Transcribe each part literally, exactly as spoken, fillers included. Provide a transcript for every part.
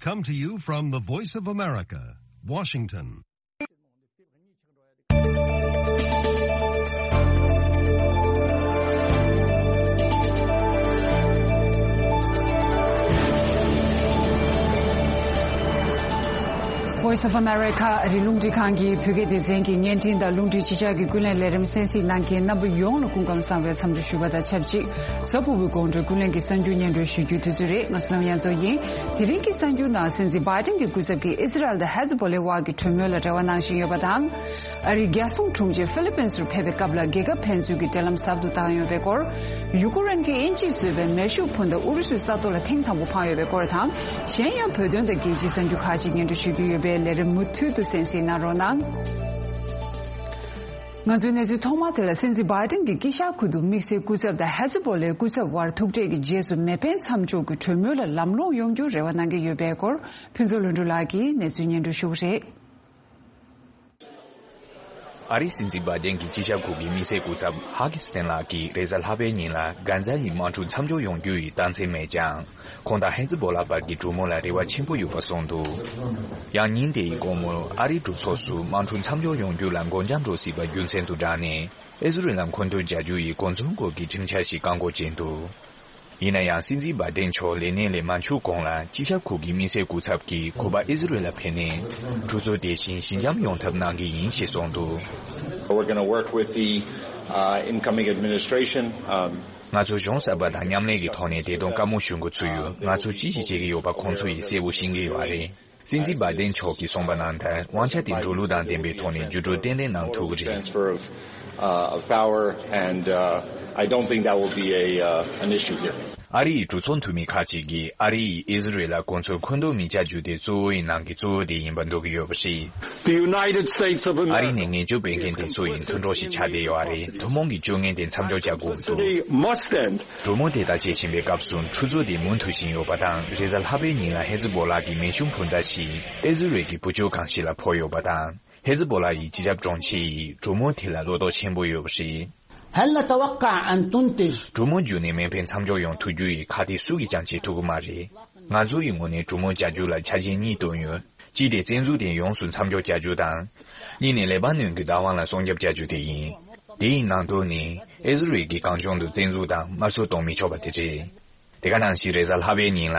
Come to you from the Voice of America, Washington. Voice of America ཨ་རིའི་རླུང་འཕྲིན་ཁང་གི་བོད་སྐད་སྡེ་ཚན་གྱི་བརྙན་འཕྲིན་དང་རླུང་འཕྲིན་ཕྱི་ཕྱོགས་ཀྱི་ཀུན་གླེང་ལས་རིམ་གསན་གཟིགས་གནང་མཁན་རྣམ་པ་ཡོངས་ལ་སྐུ་ཁམས་བཟང་བའི་འཚམས་འདྲི་ཞུ་བ་དང་ཆབས་ཅིག་གཟའ་ཕུར་བུའི་དགོང་དྲོའི་ཀུན་གླེང་གི་གསར་འགྱུར་སྙན་སྒྲོན་ཞུ་རྒྱུའི་དུས་ཚོད་རེད། ང་བསོད་ནམས་དབྱངས་མཚོ་ཡིན། དེ་རིང་གི་གསར་འགྱུར་ནང་སྲིད་འཛིན་བྷའི་ཏིན་གྱི་སྐུ་ཚབ་ཀྱིས་ཨི་ཟི་རལ་དང་ཧེ་ཛི་བྷོ་ལའི་དབར་གྱི་གྲོས་མོལ་ལ་རེ་བ་གནང་བཞིན་ཡོད་པ་དང་། ཨ་རིའི་རྒྱལ་སྲུང་དྲུང་ཆེ་ཧྥི་ལི་པིན་སུར་ཕེབས་པའི་སྐབས་ལ་རྒྱལ་ཁབ་ཕན་ཚུན་གྱི་འབྲེལ་ལམ་ཟབ་ཏུ་བཏང་ཡོད་པའི་སྐོར། ཡུ་ཀེ་རེན་གྱིས་དབྱིན་ཇིས་བཟོས་པའི་མེ་ཤུགས་འཕུར་མདའ་ཨུ་རུ་སུའི་ས་ཐོག་ལ་ཐེངས་དང་པོ་འཕངས་ཡོད་པའི་སྐོར་དང་། གཞན་ཡང་བོད་དོན་དང་རྒྱལ་སྤྱིའི་གསར་འགྱུར་ཁག་ཅིག་སྙན་སྒྲོན་ཞུ་རྒྱུ་ཡོད་པས་ལས་རིམ་མུ་མཐུད་དུ་གསན་གཟིགས་གནང་རོགས་གནང་། ང་ཚོའི་གནས་ཚུལ་ཐོག་མ་དེ་ལ། སྲིད་འཛིན་བྷའི་ཏིན་གྱིས་དཀྱིལ་ཤར་ཁུལ་དུ་དམིགས་བསལ་སྐུ་ཚབ་དང་ཧེ་ཛི་བྷོ་ལའི་སྐུ་ཚབ་དབར་ཐུག་འཕྲད་ཀྱི་རྗེས་སུ་མེ་འཕེན་མཚམས་འཇོག་གི་གྲོས་མོལ་ལ་ལམ་ལྷོང་ཡོང་རྒྱུར་རེ་བ་གནང་གི་ཡོད་པའི་སྐོར། ཕུན་ཚོགས་ལྷུན་གྲུབ་ལགས་ཀྱིས་གནས་ཚུལ་སྙན་སྒྲོན་ཞུ་གི་རེད། ཨ་རིའི་སྲིད་འཛིན་བྷའི་ཏན་གྱི་དཀྱིལ་ཤར་ཁུལ་གྱི་དམིགས་བསལ་སྐུ་ཚབ་ཧ་གི་སི་ཐན་ལགས་ཀྱིས་རེས་གཟའ་ལྷག་པའི་ཉིན་ལ་གྷན་ཛ་ཡི་དམག་འཁྲུག་མཚམས་འཇོག་ཡོང་རྒྱུ་ཡི་རྟགས་མཚན་མེད་ཀྱང་། ཁོང་དང་ཧེ་ཛི་བྷོ་ལ་བར་གྱི་གྲོས་མོལ་ལ་རེ་བ་ཆེན་པོ་ཡོད་པ་གསུངས་འདུག་ཡང་ཉིན་དེའི་དགོང་མོར་ཨ་རིའི་གྲོས་ཚོགས་སུ་དམག་འཁྲུག་མཚམས་འཇོག་ཡོང་རྒྱུ་ལ་འགོར་འགྱངས་འགྲོ་སྲིད་པ་རྒྱུ་མཚན་དུ་བསྒྲགས་ནས། ཨི་ཟི་རེལ་ལ་མཁོ་འདོན་བྱ་རྒྱུ་ཡི་གོ་མཚོན་སྐོར་གྱི་ཁྲིམས་འཆར་ཞིག་བཀག་འགོག་བྱས་འདུག་ཡིན་ན་ཡང་། སྲིད་འཛིན་བྷའི་ཏན་མཆོག་ལས་གནས་ལས་མ་འཁྱུར་གོང་ལ། དཀྱིལ་ཤར་ཁུལ་གྱི་དམིགས་བསལ་སྐུ་ཚབ་ཀྱིས་ཁོ་པ་ཨི་ཟི་རེལ་ལ་ཕེབས་ནས། འཁྲུག་རྩོད་དེ་བཞིན་ཞི་འཇམ་ཡོང་ཐབས་གནང་གི་ཡིན་ཞེས་གསུངས་འདུག We're going to work with the uh, incoming administration. Um, ང་ཚོ་གཞུང་གསར་པ་དང་མཉམ་ལས་ཀྱི་ཐོག་ནས་བདེ་དོན་བཀའ་མོལ་ཞུ་འགོ་ཚུགས་ཡོད། ང་ཚོ་ཅི་ཞིག་བྱེད་ཀྱི་ཡོད་པ་ཁོང་ཚོ་ཡིས་གསལ་པོ་ཤེས་ཀྱི་ཡོད་རེད། སྲིད་འཛིན་བྷའི་ཏན་མཆོག་གིས་གསུངས་པ་ནང་ལྟར། དབང་ཆ་དེ་འགྲོ་ལུགས་དང་ལྡན་པའི་ཐོག་ནས་བརྒྱུད་སྒྲོག་ཏན་ཏན་གནང་ཐུབ་ཀྱི་རེད། Transfer of, uh, of power, and uh, I don't think that will be a, uh, an issue here. ཨ་རི་ཡི་གྲོས་ཚོགས་འཐུས་མི་ཁག་ཅིག་གིས་ཨ་རི་ཡིས་ཨི་ཟི་རེལ་ལ་གོ་མཚོན་མཁོ་འདོན་མི་བྱ་རྒྱུ་དེ་གཙོ་བོ་ཡི་ནང་གི་གཙོ་བོ་དེ་ཡིན་པ་འདོད་ཀྱི་ཡོད་པ་རེད། The United States of America. ཨ་རི་ནས་ངན་སྐྱུག་སྤེལ་མཁན་དེ་ཚོ་ཡི་མཐུན་གྲོགས་ཤིག་ཆགས་བསྡད་ཡོད་རེད། ཐུན་མོང་གི་སྤྱོད་ངན་དེ་མཚམས་འཇོག་བྱ་དགོས་འདུག Must end. གྲོས་མོལ་དེ་ལྟར་བྱེད་བཞིན་པའི་སྐབས་སུ་འཁྲུག་རྩོད་དེ་མུ་མཐུད་བཞིན་ཡོད་པ་དང་། རེས་གཟའ་ལྷག་པའི་ཉིན་ལ་ཧེ་ཛི་བྷོ་ལ་གི་མེ་ཤུགས་འཕུར་མདའ་ཞིག་ཨི་ཟི་རེལ་གྱི་བུ་བཅོལ་ཁང་ཞིག་ལ་ཕོག་ཡོད་པ་དང་། ཧེ་ཛི་བྷོ་ལ་ཡི་སྤྱི་ཁྱབ་དྲུང་ཆེ་ཡིས་གྲོས་མོལ་དེ་ལ་བློ་དོགས་ཆེན་པོ་ཡོད་པ་རེད། هل نتوقع أن تنتج གྲོས་མོལ་བརྒྱུད་ནས་མེ་འཕེན་མཚམས་འཇོག་ཡོང་ཐུབ་རྒྱུ་ཡི་ཁ་གཏད་སུ་གིས་ཀྱང་བྱེད་ཐུབ་ཀྱི་མ་རེད། ང་ཚོ་ཡི་ངོས་ནས་གྲོས་མོལ་བྱ་རྒྱུ་ལ་ཆ་རྐྱེན་གཉིས་བཏོན་ཡོད། གཅིག་དེ་བཙན་འཛུལ་དེ་ཡོངས་སུ་མཚམས་འཇོག་བྱ་རྒྱུ་དང་། གཉིས་ནས་ལེ་པ་ནོན་གྱི་བདག་དབང་ལ་སྲུང་སྐྱོབ་བྱ་རྒྱུ་དེ་ཡིན། དེ་ཡི་ནང་དོན་ནི་ཨི་ཟི་རེལ་གྱིས་གང་བྱུང་དུ་བཙན་འཛུལ་དང་དམར་གསོད་གཏོང་མི་ཆོག་པ་དེ་རེད། དེ་ག་ནང་བཞིན་རེས་གཟའ་ལྷག་པའི་ཉིན་ལ་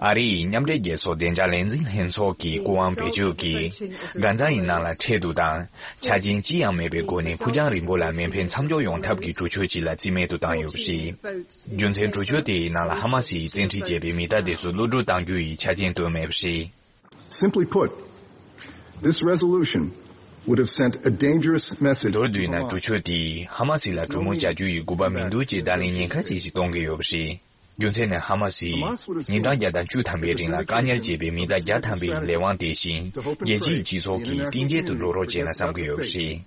ཨ་རི་ཡི་མཉམ་འབྲེལ་རྒྱལ་ཚོགས་བདེ་འཇགས་ལས་འཛིན་ལྷན་ཚོགས་ཀྱི་སྐུ་དབང་བེད་སྤྱོད་ཀྱིས་གྷན་ཛ་ཡི་ནང་ལ་འཕྲལ་དུ་དང་ཆ་རྐྱེན་ཅི་ཡང་མེད་པའི་སྒོ་ནས་ཕུགས་རྒྱང་རིང་པོ་ལ་མེ་འཕེན་མཚམས་འཇོག་ཡོང་ཐབས་ཀྱི་གྲོས་ཆོད་ཅིག་ལ་རྩིས་མེད་དུ་བཏང་ཡོད་པ་རེད། རྒྱུ་མཚན་གྲོས་ཆོད་དེ་ཡི་ནང་ལ་ཧ་མ་སི་ཡིས་བཙན་ཁྲིད་བྱས་པའི་མི་གཏའ་དེ་ཚོ་གློད་བཀྲོལ་གཏང་རྒྱུ་ཡི་ཆ་རྐྱེན་བཏོན་མེད་པ་རེད། Simply put, this resolution would have sent a dangerous message མདོར་བསྡུས་ན། གྲོས་ཆོད་དེས་ཧ་མ་སི་ལ་གྲོས་མོལ་བྱ་རྒྱུ་ཡི་དགོས་པ་མི་འདུག་ཅེས་བརྡ་ལན་ཉེན་ཁ་ཅན་ཞིག་གཏོང་གི་ཡོད་པ་རེད། རྒྱུ་མཚན་ནི་ཧ་མ་སིས་ཉིན་གྲངས་བརྒྱ་དང་བཅུ་ཐམ་པའི་རིང་ལ་བཀག་ཉར་བྱས་པའི་མི་གཏའ་བརྒྱ་ཐམ་པའི་ལས་དབང་དེ་བཞིན་རྒྱལ་སྤྱིའི་སྤྱི་ཚོགས་ཀྱིས་གཏིང་སྐྱེལ་དུ་འགྲོ་རོགས་བྱས་ན་བསམ་གྱི་ཡོད་པ་རེད།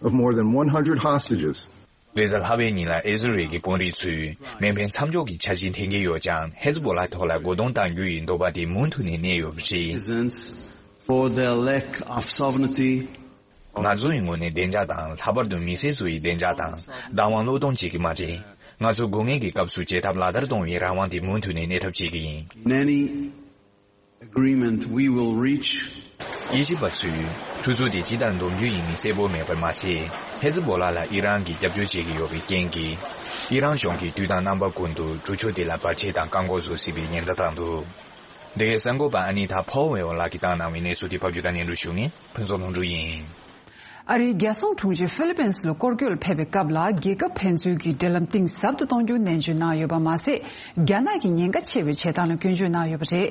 Of more than one hundred hostages. རེས་གཟའ་ལྷག་པའི་ཉིན་ལ་ཨི་ཟི་རེལ་གྱི་དཔོན་རིགས་ཚོས་མེ་འཕེན་མཚམས་འཇོག་གི་འཆར་གཞི་འཐེན་གྱི་ཡོད་ཀྱང་། ཧེ་ཛི་བྷོ་ལ་ཐོག་ལ་རྒོལ་རྡུང་གཏང་རྒྱུ་ཡི་འདོད་པ་དེ་མུ་མཐུད་ནས་གནས་ཡོད་པ་རེད། Citizens for their lack of sovereignty. ང་ཚོ་ཡི་ངོས་ནས་བདེ་འཇགས་དང་། ལྷག་པར་དུ་མི་སེར་ཚོ་ཡི་བདེ་འཇགས་དང་བདག་དབང་བློས་གཏོང་བྱེད་ཀྱི་མ་རེད། ང་ཚོ་དགོས་ངེས་ཀྱི་སྐབས་སུ་བྱེད་ཐབས་ལག་བསྟར་གཏོང་བའི་རང་དབང་དེ་མུ་མཐུད་ནས་གནས་ཐབས་བྱེད་ཀྱི་ཡིན། In any agreement we will reach. དབྱེ་ཞིབ་པ་ཚོས་འཁྲུག་རྩོད་དེ་ཇི་ལྟར་འདུམ་རྒྱུ་ཡིན་མིན་གསལ་པོ་མེད་པར་མ་ཟད། ཧེ་ཛི་བྷོ་ལ་ལ་ཨི་རན་གྱིས་རྒྱབ་སྐྱོར་བྱེད་ཀྱི་ཡོད་པའི་རྐྱེན་གྱིས། ཨི་རན་གཞུང་གིས་དུས་དང་རྣམ་པ་ཀུན་ཏུ་གྲོས་ཆོད་དེ་ལ་བར་ཆད་དང་བཀག་འགོག་བཟོ་སྲིད་པའི་ཉེན་བརྡ་བཏང་འདུག་འདི་གའི་གསར་འགོད་པ་ཨ་ནི་ཐ་ཕོ་ཝེ་ལགས་ཀྱིས་བཏང་གནང་བའི་གནས་ཚུལ་དེ་ཕབ་སྒྱུར་དང་སྙན་སྒྲོན་ཞུ་མཁན་ཕུན་ཚོགས་ལྷུན་གྲུབ་ཡིན། ཨ་རིའི་རྒྱལ་སྲུང་དྲུང་ཆེ་ཧྥི་ལི་པིན་སི་ལ་སྐོར་སྐྱོད་ལ་ཕེབས་པའི་སྐབས་ལ། རྒྱལ་ཁབ་ཕན་ཚུན་གྱི་འབྲེལ་ལམ་གཏིང་ཟབ་ཏུ་གཏོང་རྒྱུའི་ནན་བརྗོད་གནང་ཡོད་པ་མ་ཟད། རྒྱ་ནག་གི་ཉེན་ཁ་ཆེ་བའི་བྱེད་སྟངས་ལ་སྐྱོན་བརྗོད་གནང་ཡོད་པ་རེད།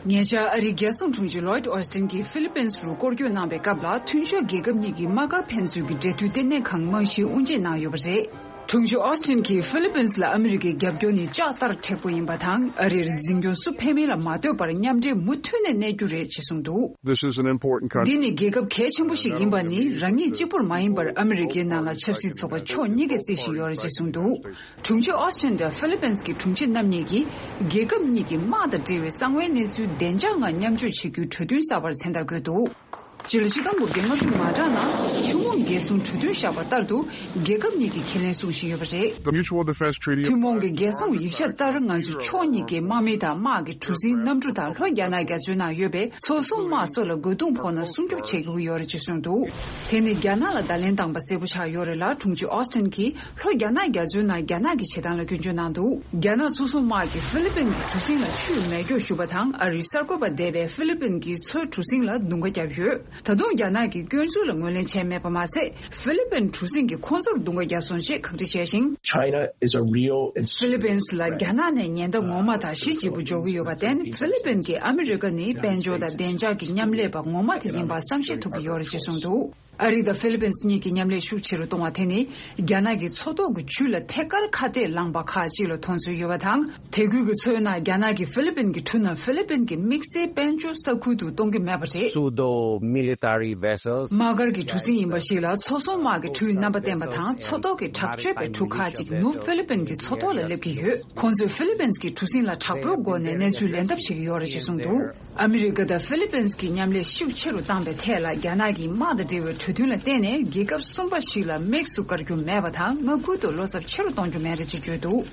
ཉེ་ཆར་ཨ་རིའི་རྒྱལ་སྲུང་དྲུང་ཆེ་ལོའིད་ཨོ་སི་ཏིན་གྱིས་ཧྥི་ལི་པིན་སི་རུ་སྐོར་སྐྱོད་གནང་བའི་སྐབས་ལ། མཐུན་ཕྱོགས་རྒྱལ་ཁབ་གཉིས་ཀྱི་དམག་སྒར་ཕན་ཚུན་གྱི་འབྲེལ་མཐུད་ལྟེ་གནས་ཁང་རྨང་གཞིའི་དབུ་འབྱེད་གནང་ཡོད་པ་རེད། དྲུང་ཆེ་ཨོ་སི་ཏིན་གྱིས་ཧྥི་ལི་པིན་སི་ལ་ཨ་མི་རི་ཀའི་རྒྱབ་སྐྱོར་ནི་ལྕགས་ལྟར་མཁྲེགས་པོ་ཡིན་པ་དང་། ཨ་རིར་འཛིན་སྐྱོང་སུ་ཕེབས་མིན་ལ་མ་ལྟོས་པར་མཉམ་འབྲེལ་མུ་མཐུད་ནས་གནས་རྒྱུ་རེད་ཅེས་གསུངས་འདུག This is an important country. འདི་ནི་རྒྱལ་ཁབ་གལ་ཆེན་པོ་ཞིག་ཡིན་པ་ནི། རང་ཉིད་གཅིག་པུར་མ་ཡིན་པར་ཨ་མི་རི་ཀའི་ནང་ལ་ཆབ་སྲིད་ཚོགས་པ་ཕྱོགས་གཉིས་ཀས་བརྩི་བཞིན་ཡོད་རེད་ཅེས་གསུངས་འདུག་དྲུང་ཆེ་ཨོ་སི་ཏིན་དང་ཧྥི་ལི་པིན་སི་གྱི་དྲུང་ཆེ་རྣམ་གཉིས་ཀྱིས། རྒྱལ་ཁབ་གཉིས་ཀྱི་དམག་དང་འབྲེལ་བའི་གསང་བའི་གནས་ཚུལ་བདེ་འཇགས་ངང་མཉམ་སྤྱོད་བྱེད་རྒྱུའི་གྲོས་མཐུན་གསར་པར་མཚན་རྟགས་བཀོད་འདུག་སྤྱི་ལོ་ཆིག་སྟོང་དགུ་བརྒྱ་ལྔ་བཅུ་ང་གྲངས་ནང་ཐུན་མོང་རྒྱལ་སྲུང་གྲོས་མཐུན་བཞག་པ་ལྟར་དུ་རྒྱལ་ཁབ་གཉིས་ཀྱིས་ཁས་ལེན་སྲུང་བཞིན་ཡོད་པ་རེད། The Mutual Defense Treaty of ཐུན་མོང་གི་རྒྱལ་སྲུང་ཡིག་ཆ་ལྟར་ང་ཚོས་ཕྱོགས་གཉིས་ཀའི་དམག་མི་དང་དམག་གི་གྲུ་གཟིངས་གནམ་གྲུ་དང་ལྷོ་རྒྱ་ནག་རྒྱ་མཚོའི་ནང་ཡོད་པའི་མཚོ་སྲུང་དམག་སོགས་ལ་རྒོལ་རྡུང་ཕོག་ན་སྲུང་སྐྱོབ་བྱེད་དགོས་ཀྱི་ཡོད་རེད་ཅེས་གསུངས་འདུག་དེ་ནི་རྒྱ་ནག་ལ་བརྡ་ལན་བཏང་པ་གསལ་པོ་ཆགས་ཡོད་རེད་ལ། དྲུང་ཆེ་ཨོ་སི་ཊིན་གྱིས་ལྷོ་རྒྱ་ནག་རྒྱ་མཚོའི་ནང་རྒྱ་ནག་གི་བྱེད་སྟངས་ལ་སྐྱོན་བརྗོད་གནང་འདུག་རྒྱ་ནག་མཚོ་སྲུང་དམག་གིས་ཧྥི་ལི་པིན་གྱི་གྲུ་གཟིངས་ལ་ཆུས་མེ་སྒྱོགས་གཞུས་པ་དང་། ཨ་རིའི་གསར་འགོད་པ་འདས་པའི་ཧྥི་ལི་པིན་གྱི་མཚོའི་གྲུ་གཟིངས་ལ་རྡུང་ཁ་བརྒྱབ་ཡོད། ད་དུང་རྒྱ་ནག་གིས་སྐྱོན་འཛུགས་ལ་ངོས་ལེན་བྱས་མེད་པ་མ་ཟད། ཧྥི་ལི་པིན་གྲུ་གཟིངས་ཀྱིས་ཁོང་ཚོར་རྡུང་ཁ་བརྒྱབ་སོང་ཞེས་ཁག་དཀྲི་བྱས་ཤིང་། China is a real and ཧྥི་ལི་པིན་ལ་རྒྱ་ནག་ནས་ཉེན་བརྡ་ངོ་མ་དང་གཞི་གཅིག་པུ་འཇོག་གི་ཡོད་པར་བརྟེན། ཧྥི་ལི་པིན་གྱིས་ཨ་མི་རི་ཀ་ནི་དཔལ་འབྱོར་དང་བདེ་འཇགས་ཀྱི་མཉམ་ལས་པ་ངོ་མ་དེ་ཡིན་པ་བསམ་ཤེས་ཐུབ་ཀྱི་ཡོད་རེད་ཅེས་གསུངས་འདུག་ཨ་རི་དང་ཧྥི་ལི་པིན་གཉིས་ཀྱི་མཉམ་ལས་ཤུགས་ཆེ་རུ་གཏོང་བ་དེ་ནི། རྒྱ་ནག་གི་མཚོ་ཐོག་གི་ཇུས་ལ་ཐད་ཀར་ཁ་གཏད་ལངས་པ་ཁག་ཅིག་ལ་མཐོང་ཚུལ་ཡོད་པ་དང་། དེ་ཁུལ་གྱི་མཚོའི་ནང་རྒྱ་ནག་གིས་ཧྥི་ལི་པིན་གྱི་གྲུ་རྣམས་ཧྥི་ལི་པིན་གྱི་དམིགས་བསལ་དཔལ་འབྱོར་ས་ཁུལ་དུ་གཏོང་གི་མེད་པ་རེད། Pseudo military vessels དམག་སྒར་གྱི་གྲུ་གཟིངས་ཡིན་པ་ཞིག་ལ་མཚོ་སྲུང་དམག་གི་གྲུའི་རྣམ་པ་བསྟན་པ་དང་། མཚོ་ཐོག་གི་དྲག་སྤྱོད་པའི་གྲུ་ཁག་ཅིག་ནུབ་ཧྥི་ལི་པིན་གྱི་མཚོ་ཐོག་ལ་སླེབས་ཀྱི་ཡོད། ཁོང་ཚོས་ཧྥི་ལི་པིན་གྱི་གྲུ་གཟིངས་ལ་དྲག་པོའི་སྒོ་ནས་གནས་ཚུལ་ལེན་ཐབས་བྱེད་ཀྱི་ཡོད་རེད་ཅེས་གསུངས་འདུག་ཨ་མི་རི་ཀ་དང་ཧྥི་ལི་པིན་གྱི་མཉམ་ལས་ཤུགས་ཆེ་རུ་བཏང་བའི་ཐད་ལ། རྒྱ་ནག་གིས་དམག་དང་འབྲེལ་བའི་གྲོས་མཐུན་ལ་བརྟེན་ནས་རྒྱལ་ཁབ་གསུམ་པ་ཞིག་ལ་དམིགས་སུ་བཀར་རྒྱུ་མེད་པ་དང་། མངའ་ཁུལ་དུ་བློ་འཚབ་ཆེ་རུ་གཏོང་རྒྱུ་མེད་རེད་ཅེས་བརྗོད་འདུག་